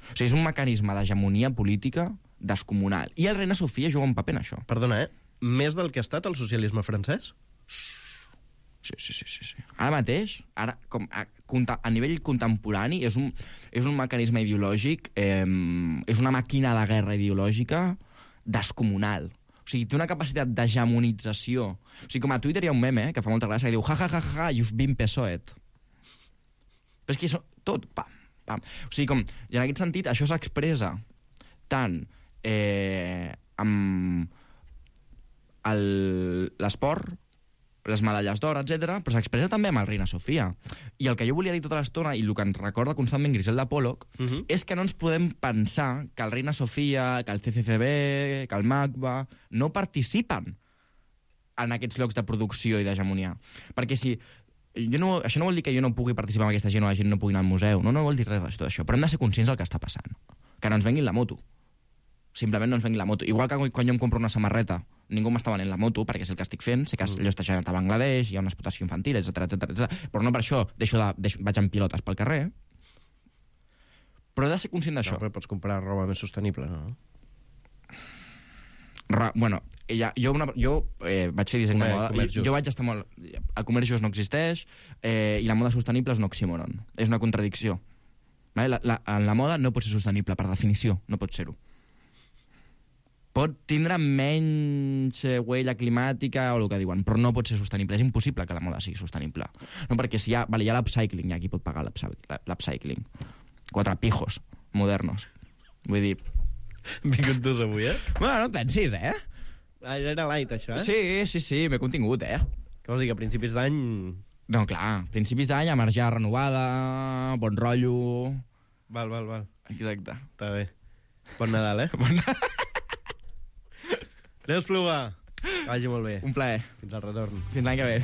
O sigui, és un mecanisme d'hegemonia política descomunal. I el Reina Sofia juga un paper en això. Perdona, eh? Més del que ha estat el socialisme francès? Sí, sí, sí, sí, sí. Ara mateix, ara, com a, a nivell contemporani, és un, és un mecanisme ideològic, eh, és una màquina de guerra ideològica descomunal. O sigui, té una capacitat d'hegemonització. O sigui, com a Twitter hi ha un meme, eh, que fa molta gràcia, que diu, ja, ja, ja, ja, you've been P S O E. Però és que això, tot, pam, pam. O sigui, com, i en aquest sentit, això s'expressa tant eh, amb l'esport, les medalles d'or, etcètera, però s'expressa també amb el Reina Sofia. I el que jo volia dir tota l'estona, i el que ens recorda constantment Griselda Pollock, uh -huh. és que no ens podem pensar que el Reina Sofia, que el C C C B, que el MACBA, no participen en aquests llocs de producció i d'hegemonia. Perquè si... Jo no, això no vol dir que jo no pugui participar amb aquesta gent o la gent no pugui anar al museu. No, no vol dir res de tot això. Però hem de ser conscients del que està passant. Que no ens venguin la moto. Simplement no ens venguin la moto. Igual que quan jo em compro una samarreta, ningú m'està venent la moto, perquè és el que estic fent, sé que allò està generat a Bangladesh, hi ha una explotació infantil, etcètera, etcètera, etcètera. Però no per això deixo de, deixo, vaig amb pilotes pel carrer. Però he de ser conscient d'això. No, però pots comprar roba més sostenible, no? Ra, bueno, ja, jo, una, jo eh, vaig fer disseny Comer, de moda, comerç jo, jo vaig estar molt... El comerç just no existeix eh, i la moda sostenible és un oxímoron. És una contradicció. Vale? La, la, en la moda no pot ser sostenible, per definició, no pot ser-ho. Pot tindre menys eh, huella climàtica o el que diuen, però no pot ser sostenible. És impossible que la moda sigui sostenible. No, perquè si hi ha, vale, hi ha l'upcycling, ja qui pot pagar l'upcycling. Quatre pijos modernos. Vull dir... Vingut dos avui, eh? Bueno, no et pensis, eh? Ah, ja era light, això, eh? Sí, sí, sí, m'he contingut, eh? Què vols dir, que a principis d'any No, clar, principis d'any, emergència renovada, bon rotllo... Val, val, val. Exacte. Està bé. Bon Nadal, eh? Bon Nadal. Leo Espluga, que vagi molt bé. Un plaer. Fins al retorn. Fins l'any que ve.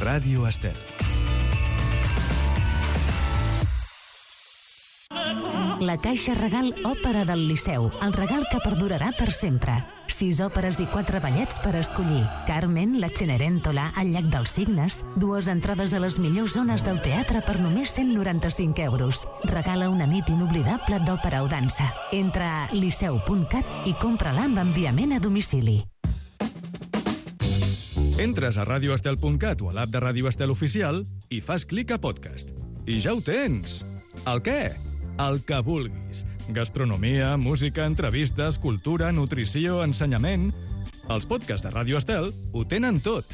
Ràdio Estel. La Caixa Regal Òpera del Liceu, el regal que perdurarà per sempre. Sis òperes i quatre ballets per escollir. Carmen, la Cenerentola, el Llac dels Cignes, dues entrades a les millors zones del teatre per només cent noranta-cinc euros. Regala una nit inoblidable d'òpera o dansa. Entra a liceu punt cat i compra-la amb enviament a domicili. Entres a radio estel punt cat o a l'app de Ràdio Estel Oficial i fas clic a podcast. I ja ho tens! El què? El que vulguis. Gastronomia, música, entrevistes, cultura, nutrició, ensenyament... Els podcasts de Ràdio Estel ho tenen tot.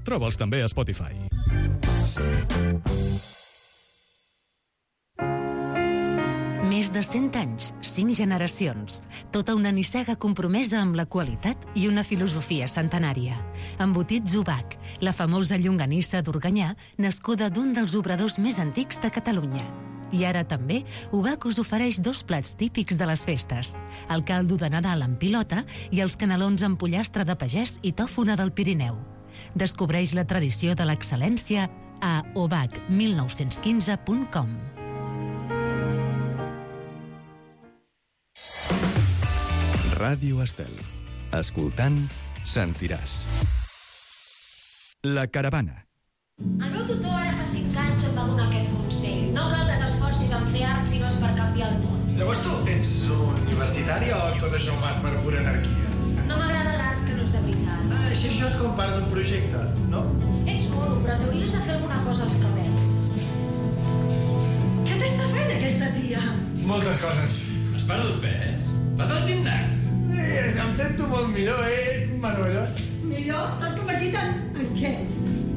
Troba'ls també a Spotify. Més de cent anys, cinc generacions. Tota una nissaga compromesa amb la qualitat i una filosofia centenària. Embotits Ubac, la famosa llonganissa d'Organyà, nascuda d'un dels obradors més antics de Catalunya. I ara també, Ubac us ofereix dos plats típics de les festes. El caldo de Nadal amb pilota i els canelons amb pollastre de pagès i tòfona del Pirineu. Descobreix la tradició de l'excel·lència a obac mil nou-cents quinze punt com. Ràdio Estel. Escoltant, sentiràs. La caravana. El meu tutor ara fa cinc anys em va donar aquest consell. No cal que t'esforcis en fer art si no és per canviar el món. Llavors tu ets universitari o tot això ho fas per pura anarquia? No m'agrada l'art que no és de veritat. Ah, així això és com part d'un projecte, no? Ets mono, però t'hauries de fer alguna cosa als cabells. Què t'està fent aquesta tia? Moltes coses. Has perdut pes? Vas al gimnàs? Sí, em sento molt millor, és meravellós. Millor? T'has convertit en... en què?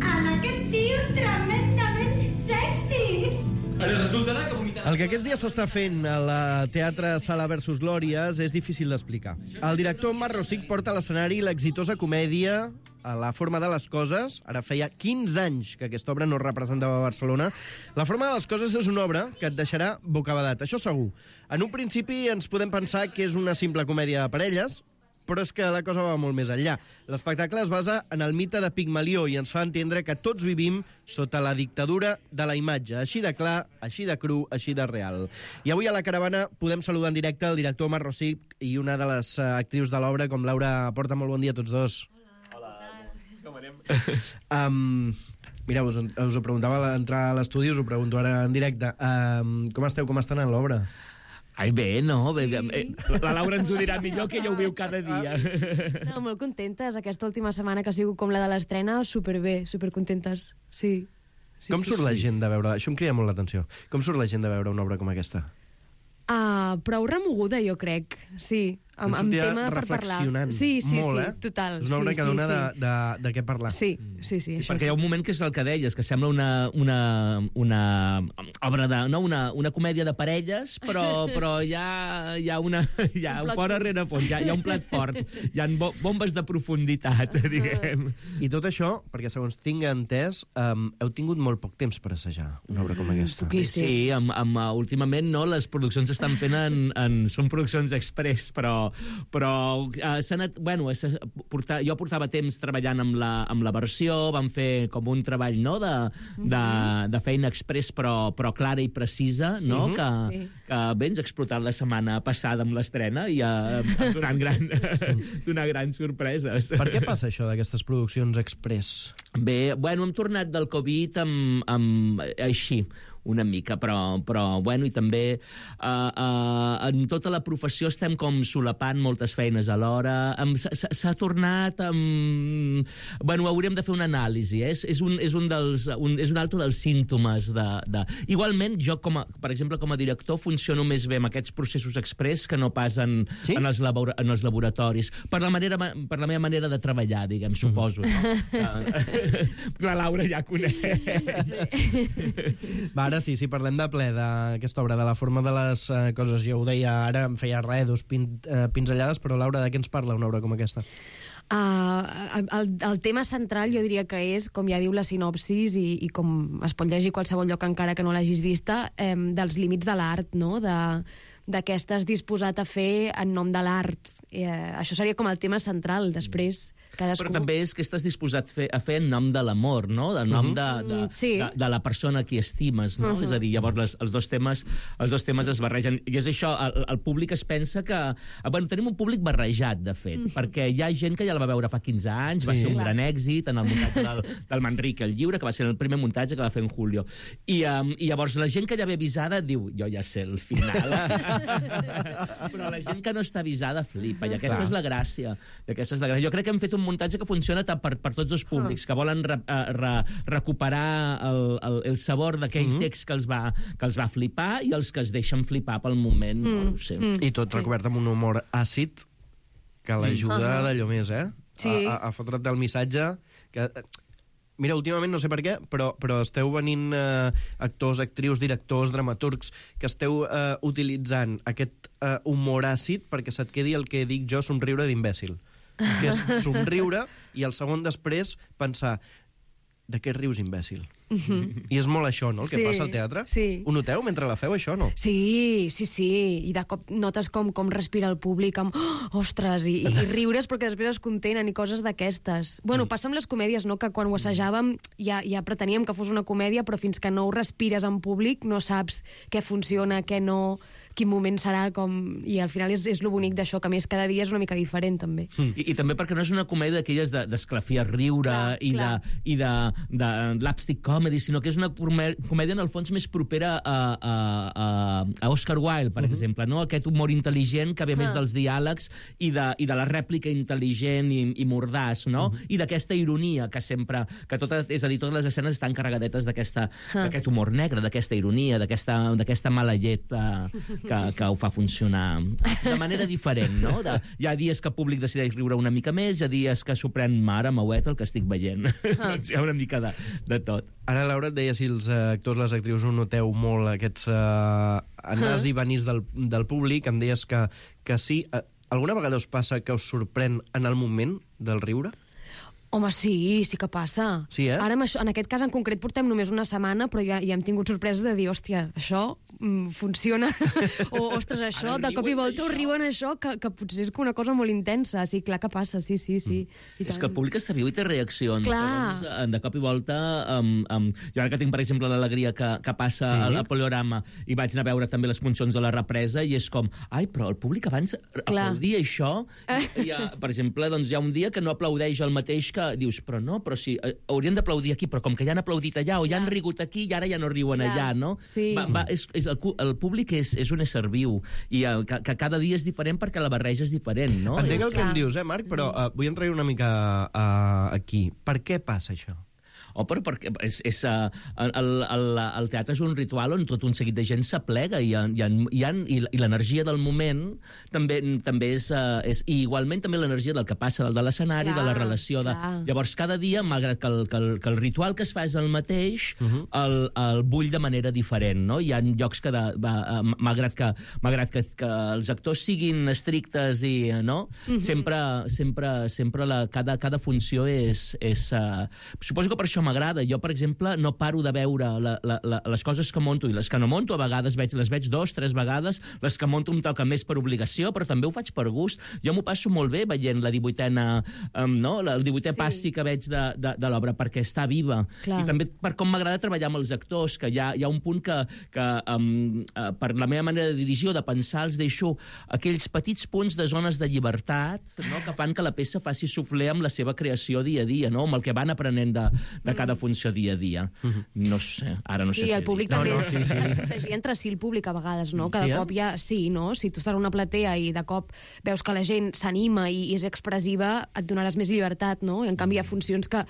En aquest tio tremendament sexy! Ara resultarà que vomitarà... El que aquests dies s'està fent a la Teatre Sala versus Glòries és difícil d'explicar. El director Marc Rosic porta a l'escenari l'exitosa comèdia a La forma de les coses. Ara feia quinze anys que aquesta obra no es representava a Barcelona. La forma de les coses és una obra que et deixarà bocabadat, això segur. En un principi ens podem pensar que és una simple comèdia de parelles, però és que la cosa va molt més enllà. L'espectacle es basa en el mite de Pigmalió i ens fa entendre que tots vivim sota la dictadura de la imatge, així de clar, així de cru, així de real. I avui a la caravana podem saludar en directe el director Marc Rosic i una de les uh, actrius de l'obra, com Laura Porta. Molt bon dia a tots dos. Hola, com anem? Um, mira, us, us ho preguntava a l'entrar a l'estudi, us ho pregunto ara en directe. Um, com esteu, com està anant l'obra? Ai, bé, no? Sí. Bé, la Laura ens ho dirà millor, que ella ho viu cada dia. No, molt contentes. Aquesta última setmana que ha sigut com la de l'estrena, superbé, supercontentes. Sí. sí Com sí, surt sí. la gent de veure... Això em crida molt l'atenció. Com surt la gent de veure una obra com aquesta? Ah, prou remoguda, jo crec. Sí, amb, amb tema per parlar. Sí, sí, molt, sí, eh? total. És una obra sí, que sí, dona sí. de, de, de què parlar. Sí, sí, sí. Això Perquè hi ha un moment que és el que deies, que sembla una, una, una obra de... No, una, una comèdia de parelles, però, però hi ha, hi ha una... Hi ha un, un fort rere fons, hi ha, hi ha un plat fort, hi ha bo, bombes de profunditat, diguem. I tot això, perquè segons tinc entès, um, heu tingut molt poc temps per assajar una obra com aquesta. Sí, amb, amb, uh, últimament no, les produccions s'estan fent en, en... Són produccions express, però... però uh, anat, bueno, portar, jo portava temps treballant amb la, amb la versió, vam fer com un treball no, de, de, de feina express, però, però clara i precisa, Sí. no? que, Sí. que bé, ens ha explotat la setmana passada amb l'estrena i uh, donant, gran, donant grans sorpreses. Per què passa això d'aquestes produccions express? Bé, bueno, hem tornat del Covid amb, amb així, una mica, però, però bueno, i també uh, uh, en tota la professió estem com solapant moltes feines alhora. S'ha tornat amb... Bueno, hauríem de fer una anàlisi, eh? És, és, un, és, un dels, un, és un altre dels símptomes de, de... Igualment, jo, com a, per exemple, com a director, funciono més bé amb aquests processos express que no pas en, sí? en, els, labor, en els laboratoris. Per la, manera, per la meva manera de treballar, diguem, suposo. Mm-hmm. No? La Laura ja coneix. Sí. Va, ara sí, si parlem de ple d'aquesta obra, de la forma de les uh, coses, jo ho deia ara, em feia res, dos pin, uh, pinzellades, però Laura, de què ens parla una obra com aquesta? Uh, el, el tema central jo diria que és, com ja diu la sinopsis, i, i com es pot llegir qualsevol lloc encara que no l'hagis vista, eh, dels límits de l'art, no? De, de què estàs disposat a fer en nom de l'art. Eh, això seria com el tema central. Després, cadascú... Però també és que estàs disposat fer, a fer en nom de l'amor, no? En nom de, de, sí. de, de la persona a qui estimes, no? Uh -huh. És a dir, llavors les, els, dos temes, els dos temes es barregen. I és això, el, el públic es pensa que... Bueno, tenim un públic barrejat, de fet, uh -huh. perquè hi ha gent que ja la va veure fa quinze anys, sí. va ser un Clar. gran èxit en el muntatge del, del Manrique el Lliure, que va ser el primer muntatge que va fer en Julio. I, um, i llavors la gent que ja ve avisada diu, jo ja sé el final... Però la gent que no està avisada flipa, i aquesta Clar. és la gràcia. Aquesta és la gràcia. Jo crec que hem fet un muntatge que funciona per, per tots els públics, que volen re, re, recuperar el, el, el sabor d'aquell mm -hmm. text que els, va, que els va flipar i els que es deixen flipar pel moment. Mm. No ho sé. Mm. I tot recobert amb un humor àcid que l'ajuda mm. uh -huh. d'allò més, eh? Sí. A, a, a fotre't el missatge que... Mira, últimament, no sé per què, però, però esteu venint eh, actors, actrius, directors, dramaturgs, que esteu eh, utilitzant aquest eh, humor àcid perquè se't quedi el que dic jo, somriure d'imbècil. Que és somriure i el segon després pensar de què rius, imbècil? Uh-huh. I és molt això, no?, el que sí, passa al teatre. Sí. Ho noteu mentre la feu, això, no? Sí, sí, sí. I de cop notes com, com respira el públic amb oh, ostres, i, i riures perquè després es contenen i coses d'aquestes. Bueno, mm. passa amb les comèdies, no?, que quan ho assajàvem ja, ja preteníem que fos una comèdia, però fins que no ho respires en públic no saps què funciona, què no... quin moment serà, com... i al final és, és lo bonic d'això, que a més cada dia és una mica diferent, també. Mm. I, I també perquè no és una comèdia d'aquelles d'esclafir de, riure clar, i, clar. De, i de, de l'upstick comedy, sinó que és una comèdia, en el fons, més propera a, a, a, a Oscar Wilde, per uh -huh. exemple, no? Aquest humor intel·ligent que ve ah. més dels diàlegs i de, i de la rèplica intel·ligent i, i mordàs, no? Uh -huh. I d'aquesta ironia que sempre... que tota, és a dir, totes les escenes estan carregadetes d'aquest ah. humor negre, d'aquesta ironia, d'aquesta mala llet uh, que, que ho fa funcionar de manera diferent, no? De, hi ha dies que el públic decideix riure una mica més, hi ha dies que s'ho pren mare, mauet, el que estic veient. Ah. Doncs hi ha una mica de, de tot. Ara, Laura, et deia si els actors, les actrius, ho noteu molt, aquests uh, anars i venís del, del públic. Em deies que, que sí. Alguna vegada us passa que us sorprèn en el moment del riure? Home, sí, sí que passa. Sí, eh? Ara, això, en aquest cas en concret, portem només una setmana, però ja, ja hem tingut sorpreses de dir, hòstia, això mm, funciona. O, ostres, això, Ara de cop i volta ho riuen això, que, que potser és una cosa molt intensa. Sí, clar que passa, sí, sí, sí. Mm. És que el públic està viu i té reaccions. Clar. Segons, de cop i volta... Um, um, jo ara que tinc, per exemple, l'alegria que, que passa sí. al Poliorama i vaig anar a veure també les funcions de la represa i és com, ai, però el públic abans clar. aplaudia això. I, i, per exemple, doncs hi ha un dia que no aplaudeix el mateix que dius, però no, però sí, eh, haurien d'aplaudir aquí, però com que ja han aplaudit allà o ja han rigut aquí i ara ja no riuen Clar. allà, no? Sí. Va, va, és, és el, el públic és, és un ésser viu i eh, que, que cada dia és diferent perquè la barreja és diferent, no? Entenc és... el que em dius, eh, Marc, però uh, vull entrar una mica uh, aquí. Per què passa això? Oh, però perquè és, és, uh, el, el, el teatre és un ritual on tot un seguit de gent s'aplega i, i, i, i, i l'energia del moment també, també és, uh, és... I igualment també l'energia del que passa del de l'escenari, de la relació... De... Llavors, cada dia, malgrat que el, que, el, que el ritual que es fa és el mateix, uh -huh. el, el bull de manera diferent, no? Hi ha llocs que, de, va, malgrat, que, malgrat que, que els actors siguin estrictes i... no? Uh -huh. Sempre, sempre, sempre la, cada, cada funció és... és uh, suposo que per això m'agrada. Jo, per exemple, no paro de veure la, la, la, les coses que monto i les que no monto. A vegades veig, les veig dos, tres vegades. Les que monto em toca més per obligació, però també ho faig per gust. Jo m'ho passo molt bé veient la divuitena, um, no? el divuitè sí. passi que veig de, de, de l'obra, perquè està viva. Clar. I també per com m'agrada treballar amb els actors, que hi ha, hi ha un punt que, que um, uh, per la meva manera de dirigir o de pensar, els deixo aquells petits punts de zones de llibertat, no? que fan que la peça faci sufler amb la seva creació dia a dia, no? amb el que van aprenent de, de cada funció dia a dia. No sé, ara no sé Sí, què el públic dir. també No, no, es, sí, sí. es protegia entre si el públic a vegades, no? Cada Sí, eh? cop ja... Sí, no? Si tu estàs en una platea i de cop veus que la gent s'anima i, i és expressiva, et donaràs més llibertat, no? I en canvi hi ha funcions que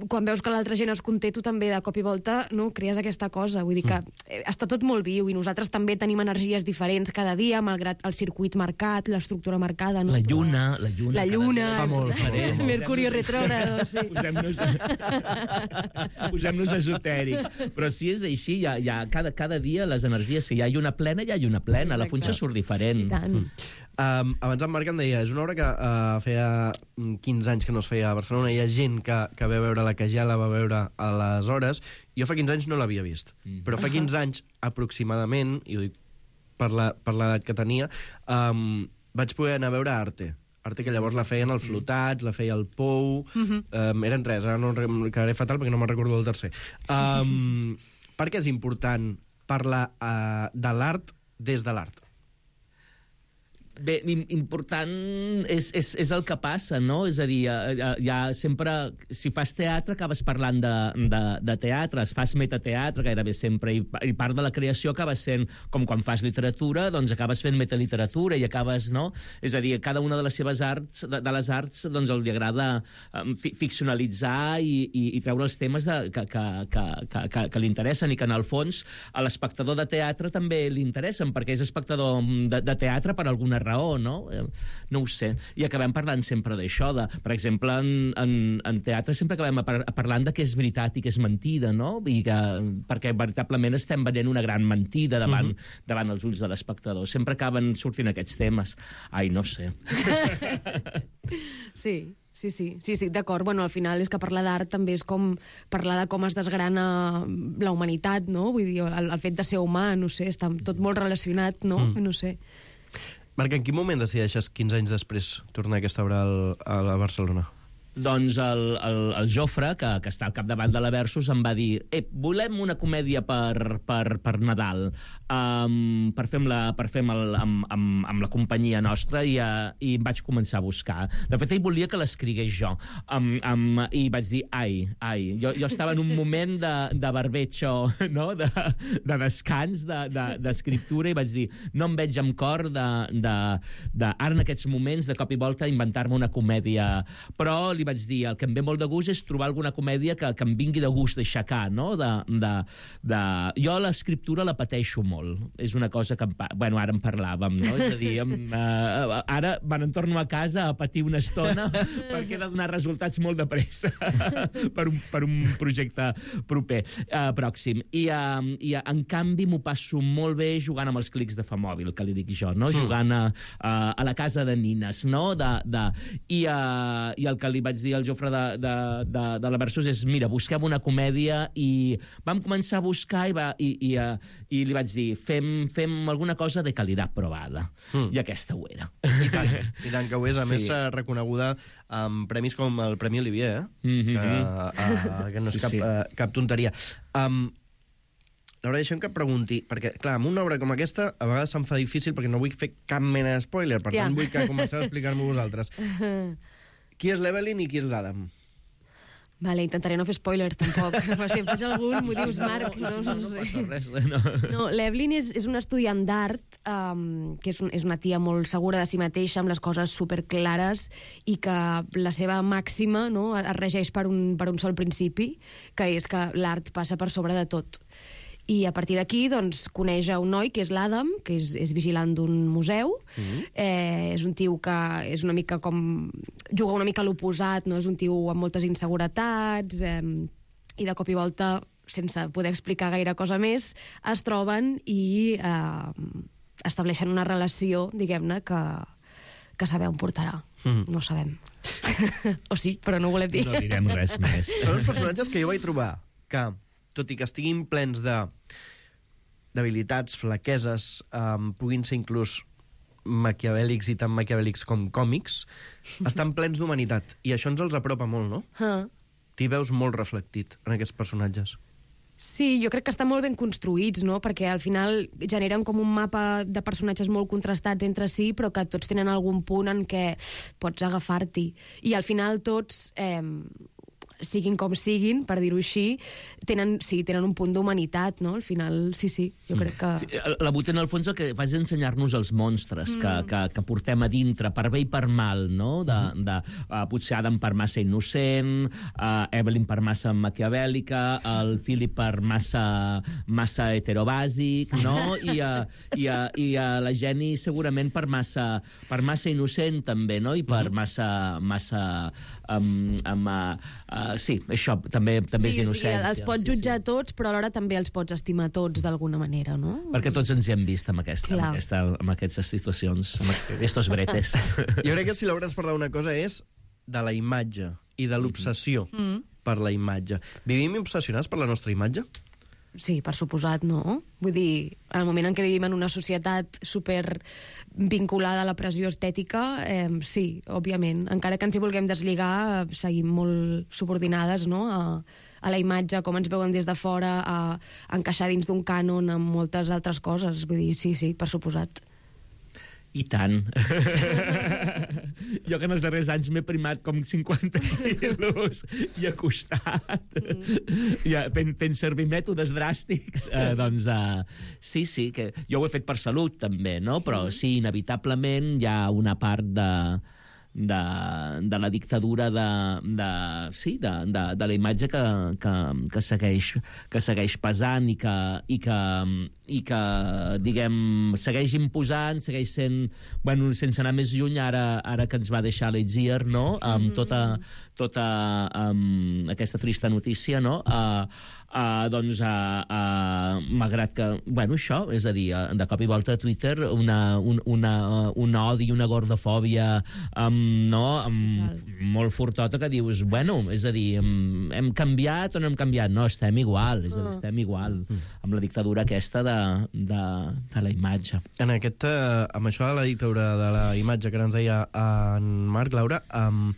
quan veus que l'altra gent es conté, tu també de cop i volta no, crees aquesta cosa. Vull dir que eh, està tot molt viu i nosaltres també tenim energies diferents cada dia, malgrat el circuit marcat, l'estructura marcada. No? La lluna, la lluna. La lluna, Fa molt, exacte. fa molt. Mercurio retrógrado, sí. Posem-nos posem-nos esotèrics. Però si és així, hi ha, hi ha cada, cada dia les energies, si hi ha lluna plena, hi ha lluna plena. La Exacte. funció surt diferent. I tant. Um, abans en Marc em deia, és una obra que uh, feia quinze anys que no es feia a Barcelona. Hi ha gent que, que ve a veure la que ja la va veure aleshores. Jo fa quinze anys no l'havia vist. Mm. Però fa quinze anys, aproximadament, i ho dic per la- per l'edat que tenia, um, vaig poder anar a veure Arte. Arte que llavors la feien al Flotats, la feia al Pou... Mhm. um, eren tres, ara no em quedaré fatal perquè no me'n recordo del tercer. Um, per què és important parlar uh, de l'art des de l'art? Bé, im- important és, és, és el que passa, no? És a dir, ja, ja sempre... Si fas teatre, acabes parlant de, de, de teatre. Si fas metateatre, gairebé sempre, i, i part de la creació acaba sent, com quan fas literatura, doncs acabes fent metaliteratura i acabes, no? És a dir, cada una de les seves arts, de, de les arts, doncs li agrada um, fi, ficcionalitzar i, i, i treure els temes de, que, que, que, que, que, que li interessen i que, en el fons, a l'espectador de teatre també li interessen, perquè és espectador de, de teatre per alguna raó. raó, no? No ho sé. I acabem parlant sempre d'això. De, per exemple, en, en, en teatre sempre acabem par parlant de què és veritat i què és mentida, no? I que, perquè veritablement estem venent una gran mentida davant, uh-huh. davant els ulls de l'espectador. Sempre acaben sortint aquests temes. Ai, no sé. Sí, sí, sí, sí, sí, d'acord. Bueno, al final és que parlar d'art també és com parlar de com es desgrana la humanitat, no? Vull dir, el, el fet de ser humà, no sé, està tot molt relacionat, no? Mm. No sé. Marc, en quin moment decideixes, quinze anys després, tornar aquesta obra al, a la Barcelona? Doncs el, el, el Jofre, que, que està al capdavant de la Versus, em va dir eh, volem una comèdia per, per, per Nadal, um, per fer, amb la, per fer amb, el, amb, amb, amb la companyia nostra, i, uh, i em vaig començar a buscar. De fet, ell volia que l'escrigués jo. Um, um, I vaig dir, ai, ai. Jo, jo estava en un moment de, de barbecho, no? de, de descans, d'escriptura, de, de, i vaig dir, no em veig amb cor de, de, de, ara en aquests moments, de cop i volta, inventar-me una comèdia. Però li vaig dir, el que em ve molt de gust és trobar alguna comèdia que, que em vingui de gust d'aixecar, no? De, de, de... Jo l'escriptura la pateixo molt. És una cosa que... Em pa... Bueno, ara en parlàvem, no? És a dir, em, uh, ara me n'entorno a casa a patir una estona perquè he de donar resultats molt de pressa per, un, per un projecte proper, uh, pròxim. I, uh, i uh, en canvi m'ho passo molt bé jugant amb els clics de Famòbil, que li dic jo, no? Mm. Jugant a, a, a la casa de nines, no? De, de... I, uh, I el que li vaig dir al Jofre de, de, de, de la Versus és, mira, busquem una comèdia, i vam començar a buscar i, va, i, i, uh, i li vaig dir, fem, fem alguna cosa de qualitat provada. Mm. I aquesta ho era. I tant, i tant que ho és. A Sí. més, uh, reconeguda amb premis com el Premi Olivier, eh? Mm-hmm. que, uh, que no és Sí, cap, sí. uh, cap tonteria. Um, Laura, deixem que et pregunti, perquè, clar, amb una obra com aquesta, a vegades se'm fa difícil perquè no vull fer cap mena de spoiler, per Ja. tant vull que comenceu a explicar-m'ho vosaltres. Qui és l'Evelyn i qui és l'Adam? Vale, intentaré no fer spoilers, tampoc. Però si em faig algun, m'ho dius, Marc. No, no, no sé. passa res, no. No, l'Evelyn és, és una estudiant d'art, um, que és, un, és una tia molt segura de si mateixa, amb les coses superclares, i que la seva màxima, no, es regeix per un, per un sol principi, que és que l'art passa per sobre de tot. I a partir d'aquí, doncs, coneix a un noi, que és l'Adam, que és, és vigilant d'un museu. Mm-hmm. eh, és un tio que és una mica com... juga una mica a l'oposat, no? És un tio amb moltes inseguretats, eh, i de cop i volta, sense poder explicar gaire cosa més, es troben i eh, estableixen una relació, diguem-ne, que, que saber on portarà. Mm-hmm. No ho sabem. O sí, però no ho volem dir. No direm res més. Són els personatges que jo vaig trobar que, tot i que estiguin plens de d'habilitats, flaqueses, um, puguin ser inclús maquiavèlics i tan maquiavèlics com còmics, estan plens d'humanitat. I això ens els apropa molt, no? Ah. T'hi veus molt reflectit en aquests personatges. Sí, jo crec que estan molt ben construïts, no? Perquè al final generen com un mapa de personatges molt contrastats entre si, però que tots tenen algun punt en què pots agafar-t'hi. I al final tots... Eh, siguin com siguin, per dir-ho així, tenen, sí, tenen un punt d'humanitat, no? Al final, sí, sí, jo crec que... Sí, la Bute, en el fons, el que fa és ensenyar-nos els monstres mm. que, que, que portem a dintre, per bé i per mal, no? De, de, uh, potser Adam per massa innocent, uh, Evelyn per massa maquiavèlica, el Philip per massa, massa heterobàsic, no? I, uh, i, uh, i uh, la Jenny segurament per massa, per massa innocent, també, no? I per massa... massa um, um, uh, uh, sí, això també, també sí, és innocència. Sí, els pots jutjar sí, sí. tots, però alhora també els pots estimar tots d'alguna manera, no? Perquè tots ens hi hem vist amb, aquesta, amb, aquesta, amb aquestes situacions, amb aquests bretes. Jo crec que si Laura ens parla una cosa és de la imatge i de l'obsessió mm. per la imatge. Vivim obsessionats per la nostra imatge? Sí, per suposat, no? Vull dir, en el moment en què vivim en una societat super vinculada a la pressió estètica, eh, sí, òbviament. Encara que ens hi vulguem deslligar, seguim molt subordinades, no?, a, a la imatge, com ens veuen des de fora, a, a encaixar dins d'un cànon amb moltes altres coses. Vull dir, sí, sí, per suposat. I tant. Jo que en els darrers anys m'he primat com cinquanta quilos i ha costat. Mm. Ja, fent, fent servir mètodes dràstics. Eh, doncs, uh, sí, sí, que jo ho he fet per salut, també, no? Però sí, inevitablement hi ha una part de... De, de la dictadura de, de, sí, de, de, de la imatge que, que, que, segueix, que segueix pesant i que, i que, i que diguem, segueix imposant, segueix sent, bueno, sense anar més lluny, ara, ara que ens va deixar l'Etzier, no?, amb tota, tota um, aquesta trista notícia, no?, uh, uh, doncs, uh, uh, malgrat que, bueno, això, és a dir, uh, de cop i volta a Twitter una, un, una, uh, una odi i una gordofòbia um, no, um, molt fortota que dius, bueno, és a dir, um, hem canviat o no hem canviat? No, estem igual, és a dir, estem igual amb la dictadura aquesta de, de, de la imatge. En aquest, uh, amb això de la dictadura de la imatge que ens deia en Marc, Laura, um,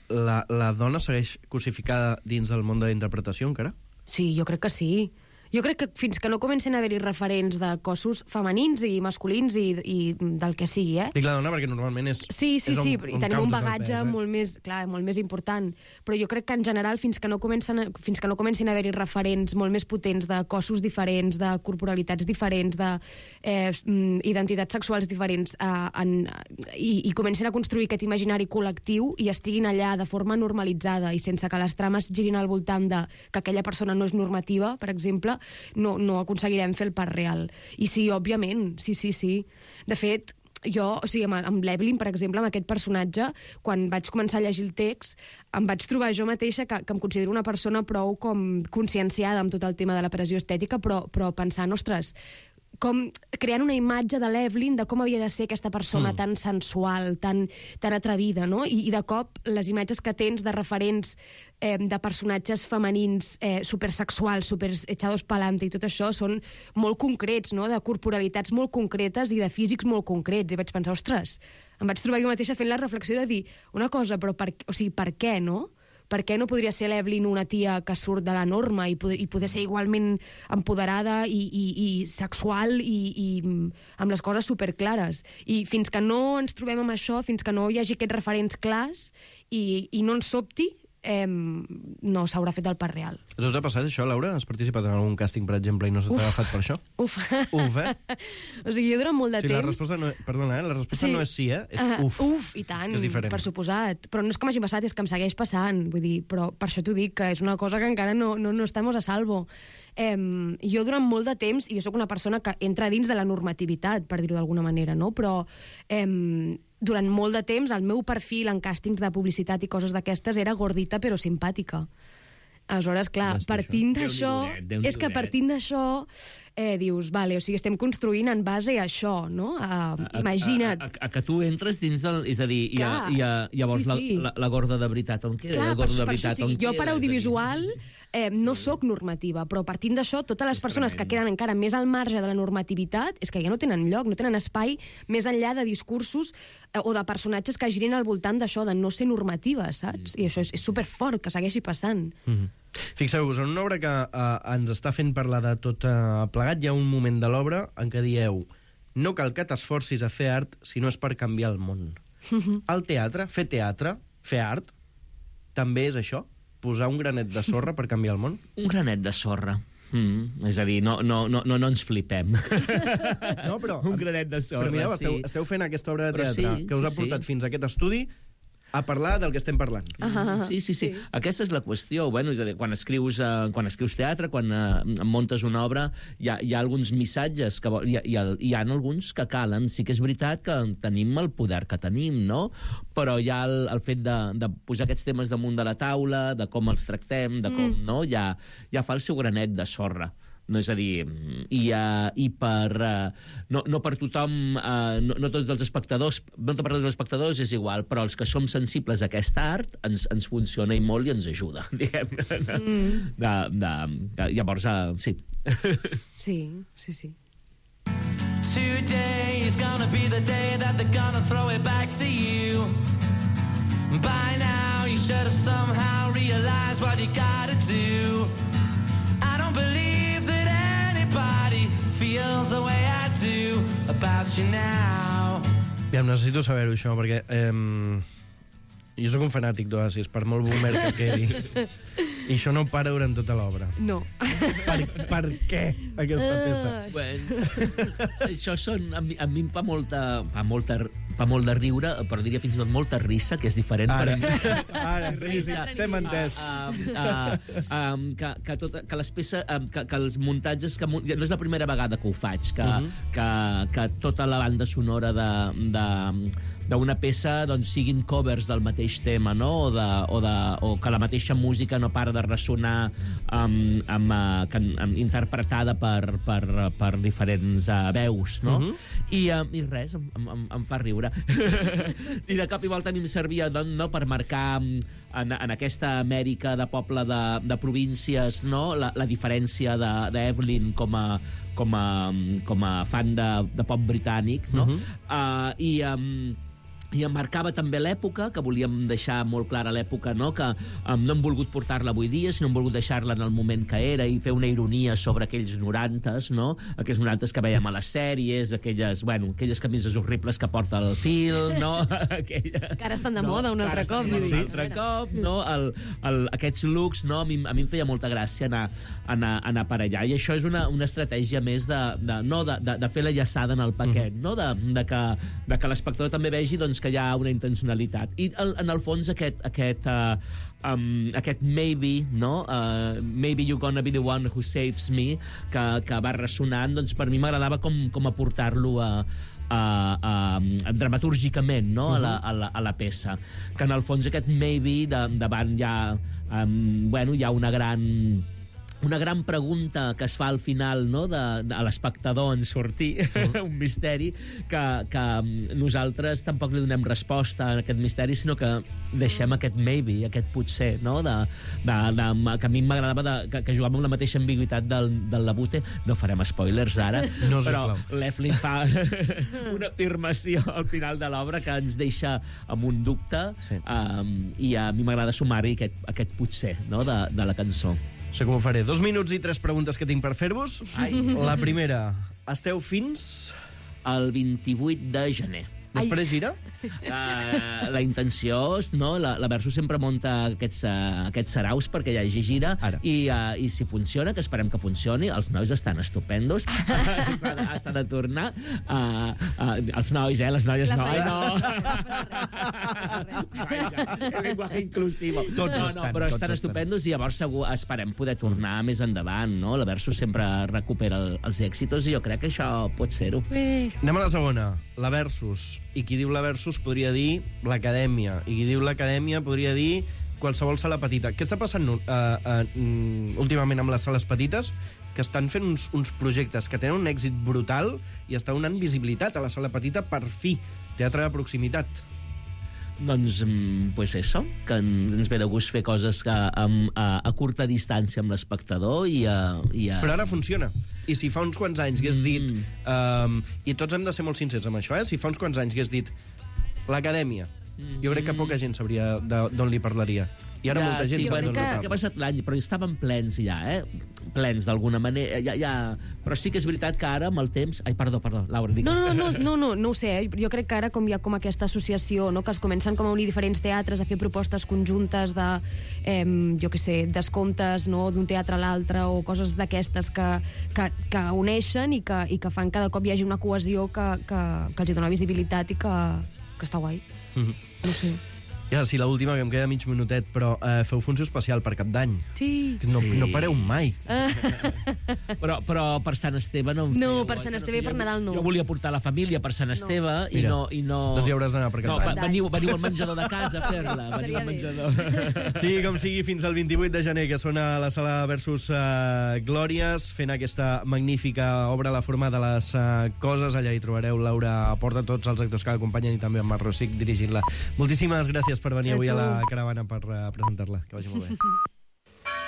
la, la dona segueix crucificada dins del món de la interpretació encara? Sí, jo crec que sí. Jo crec que fins que no comencen a haver-hi referents de cossos femenins i masculins i, i del que sigui, eh? Dic la dona perquè normalment és... Sí, sí, és sí, un, i un tenim un caos de bagatge pes, eh? molt més, clar, molt més important. Però jo crec que en general, fins que no comencen, a, fins que no comencin a haver-hi referents molt més potents de cossos diferents, de corporalitats diferents, de eh, identitats sexuals diferents, eh, en, i, i comencin a construir aquest imaginari col·lectiu i estiguin allà de forma normalitzada i sense que les trames girin al voltant de que aquella persona no és normativa, per exemple, no, no aconseguirem fer el pas real. I sí, òbviament, sí, sí, sí. De fet, jo, o sigui, amb, amb l'Evelyn, per exemple, amb aquest personatge, quan vaig començar a llegir el text, em vaig trobar jo mateixa que, que em considero una persona prou com conscienciada amb tot el tema de la pressió estètica, però, però pensant, ostres, com creant una imatge de l'Evelyn de com havia de ser aquesta persona mm. tan sensual, tan, tan atrevida, no? I, I de cop les imatges que tens de referents eh, de personatges femenins eh, supersexuals, super echados pa'lante i tot això són molt concrets, no? De corporalitats molt concretes i de físics molt concrets. I vaig pensar, ostres, em vaig trobar jo mateixa fent la reflexió de dir una cosa, però per, o sigui, per què, no? Per què no podria ser l'Evelyn una tia que surt de la norma i poder, i poder ser igualment empoderada i, i, i sexual i, i amb les coses superclares? I fins que no ens trobem amb això, fins que no hi hagi aquests referents clars i, i no ens sobti, eh, no s'haurà fet el pas real. A tu t'ha passat això, Laura? Has participat en algun càsting, per exemple, i no se t'ha agafat per això? Uf. Uf, eh? O sigui, jo durant molt de sí, temps... La resposta no, perdona, eh? La resposta sí. no és sí, eh? És uh, uf. Uf, i tant, per suposat. Però no és que m'hagi passat, és que em segueix passant. Vull dir, però per això t'ho dic, que és una cosa que encara no, no, no estem a salvo. Eh, jo durant molt de temps, i jo sóc una persona que entra dins de la normativitat, per dir-ho d'alguna manera, no? Però eh, durant molt de temps el meu perfil en càstings de publicitat i coses d'aquestes era gordita però simpàtica. Aleshores, clar, partint d'això... És que partint d'això eh, dius, vale, o sigui, estem construint en base a això, no? A, a, imagina't. A, a, a que tu entres dins del... És a dir, i, a, i a, llavors sí, sí. La, la, la gorda de veritat on queda? Clar, la gorda per, de per veritat això, sí, on jo queda? per audiovisual eh, no sí. sóc normativa, però partint d'això, totes les persones que queden encara més al marge de la normativitat és que ja no tenen lloc, no tenen espai més enllà de discursos eh, o de personatges que girin al voltant d'això, de no ser normativa, saps? Mm. I això és, és superfort, que segueixi passant. Mm-hmm. Fixeu-vos, en una obra que uh, ens està fent parlar de tot uh, plegat, hi ha un moment de l'obra en què dieu no cal que t'esforcis a fer art si no és per canviar el món. El teatre, fer teatre, fer art, també és això? Posar un granet de sorra per canviar el món? Un granet de sorra. Mm, és a dir, no, no, no, no ens flipem. No, però... un granet de sorra, però mireu, esteu, sí. esteu fent aquesta obra de Però teatre sí, que us sí, ha portat sí. fins a aquest estudi a parlar del que estem parlant. Ah, sí, sí, sí, sí. Aquesta és la qüestió. Bueno, és a dir, quan escrius, uh, quan escrius teatre, quan uh, muntes una obra, hi ha, hi ha alguns missatges, que vol, hi, ha, hi, ha, hi ha alguns que calen. Sí que és veritat que tenim el poder que tenim, no? Però hi ha el, el fet de, de posar aquests temes damunt de la taula, de com els tractem, de com, mm. no? Ja, ja fa el seu granet de sorra. No, és a dir, i, uh, i per... Uh, no, no per tothom, uh, no, no tots els espectadors, no per tots els espectadors és igual, però els que som sensibles a aquest art ens, ens funciona i molt i ens ajuda, diguem. Mm. De, de, de, llavors, uh, sí. Sí, sí, sí. Today is gonna be the day that they're gonna throw it back to you. By now you should have somehow realized what you gotta do. I don't believe that anybody feels the way I do about you now. Ja, necessito saber-ho, això, perquè eh, jo sóc un fanàtic d'Oasis, per molt boomer que quedi. I això no para durant tota l'obra. No. Per, per què, aquesta peça? Bueno, això són... A mi, a mi em fa molta... Fa molta fa molt de riure, però diria fins i tot molta risa, que és diferent. Ara, per... ara sí, sí, t'hem entès. Uh, uh, uh, um, que, que, tot, que les peces, um, que, que els muntatges... Que, no és la primera vegada que ho faig, que, uh -huh. que, que tota la banda sonora de... de d'una peça doncs, siguin covers del mateix tema, no? o, de, o, de, o que la mateixa música no para de ressonar um, amb, uh, que, um, interpretada per, per, per diferents uh, veus, no? Uh-huh. I, um, I res, em, em, em fa riure. I de cop i volta a mi em servia doncs, no, per marcar en, en aquesta Amèrica de poble de, de províncies, no? la, la diferència d'Evelyn com a com a, com a fan de, de pop britànic, no? Uh-huh. uh, I... Um, i em marcava també l'època, que volíem deixar molt clara l'època, no? Que um, no hem volgut portar-la avui dia, sinó hem volgut deixar-la en el moment que era i fer una ironia sobre aquells norantes, no? Aquells norantes que veiem a les sèries, aquelles, bueno, aquelles camises horribles que porta el Phil, no? Aquella, que ara estan de no, moda un altre cop. Un altre cop, no? El, el, aquests looks, no? A mi, a mi em feia molta gràcia anar, anar, anar per allà. I això és una, una estratègia més de, de, no, de, de, de fer la llaçada en el paquet, mm. no? De, de que, de que l'espectador també vegi doncs, que hi ha una intencionalitat. I el, en el fons aquest, aquest, uh, um, aquest maybe, no? Uh, maybe you're gonna be the one who saves me, que, que va ressonant, doncs per mi m'agradava com, com aportar-lo a, a, a, a, dramatúrgicament, no? Uh-huh. a, la, a, la, a la peça. Que en el fons aquest maybe de, davant ja, um, bueno, hi ha una gran... una gran pregunta que es fa al final, no? de, de, a l'espectador en sortir, uh-huh. un misteri, que, que nosaltres tampoc li donem resposta a aquest misteri, sinó que deixem aquest maybe, aquest potser, no? de, de, de, que a mi m'agradava que, que jugàvem amb la mateixa ambigüitat del, del Labute. No farem spoilers ara, no, però l'Eflin fa una afirmació al final de l'obra que ens deixa amb un dubte, sí. um, i a mi m'agrada sumar-hi aquest, aquest potser, no? de, de la cançó. Sé com ho faré. Dos minuts i tres preguntes que tinc per fer-vos. La primera. Esteu fins... el vint-i-vuit de gener. Després gira? Uh, la intenció, no? La, la Versus sempre munta aquests, uh, aquests saraus perquè hi hagi gira. I, uh, i si funciona, que esperem que funcioni, els nois estan estupendos. S'ha de tornar. Uh, uh, els nois, eh? Les noies, les no. no. El llenguatge inclusivo. Tots no, estan, no, però tots estan estupendos estan. I llavors segur esperem poder tornar més endavant, no? La Versus sempre recupera el, els èxitos i jo crec que això pot ser-ho. Anem a la segona. La Versus. I qui diu la Versus podria dir l'Acadèmia. I qui diu l'Acadèmia podria dir qualsevol sala petita. Què està passant uh, uh, últimament amb les sales petites? Que estan fent uns, uns projectes que tenen un èxit brutal i estan donant visibilitat a la sala petita per fi. Teatre de proximitat. Doncs, pues eso, que ens ve de gust fer coses que, amb, a, a curta distància amb l'espectador i, a, i a... Però ara funciona. I si fa uns quants anys hagués dit... Mm. Um, I tots hem de ser molt sincers amb això, eh? Si fa uns quants anys hagués dit l'Acadèmia, mm. jo crec que poca gent sabria d'on li parlaria. I ara ja, molta gent sí, se'n bueno, dona que, que ha passat l'any, però estaven plens ja, eh? Plens d'alguna manera. Ja, ja... Però sí que és veritat que ara, amb el temps... Ai, perdó, perdó, Laura, digues. No, no, no, no, no, no ho sé. Eh? Jo crec que ara com hi ha com aquesta associació, no? Que es comencen com a unir diferents teatres, a fer propostes conjuntes de, eh, jo què sé, descomptes, no?, d'un teatre a l'altre, o coses d'aquestes que, que, que uneixen i que, i que fan cada cop hi hagi una cohesió que, que, que els hi dona visibilitat i que, que està guai. Mm-hmm. No sé. I ara sí, l'última, que em queda mig minutet, però eh, feu funció especial per Cap d'Any. Sí. No, Sí. no pareu mai. Però, però per Sant Esteve no en No, feu, per eh? Sant Que Esteve i per jo- Nadal no. Jo volia portar la família per Sant Esteve i, Mira, no, i no... doncs hi hauràs d'anar per Cap No, d'Any. va- veniu, veniu al menjador de casa a fer-la. Veniu Estaria al bé. menjador. Sí, com sigui, fins al vint-i-vuit de gener, que sona a la sala versus uh, Glòries, fent aquesta magnífica obra a la forma de les uh, coses. Allà hi trobareu Laura Porta, tots els actors que l'acompanyen, i també en Marc Rosic dirigint-la. Moltíssimes gràcies per venir A avui a tu. la caravana per uh, presentar-la. Que vagi molt bé.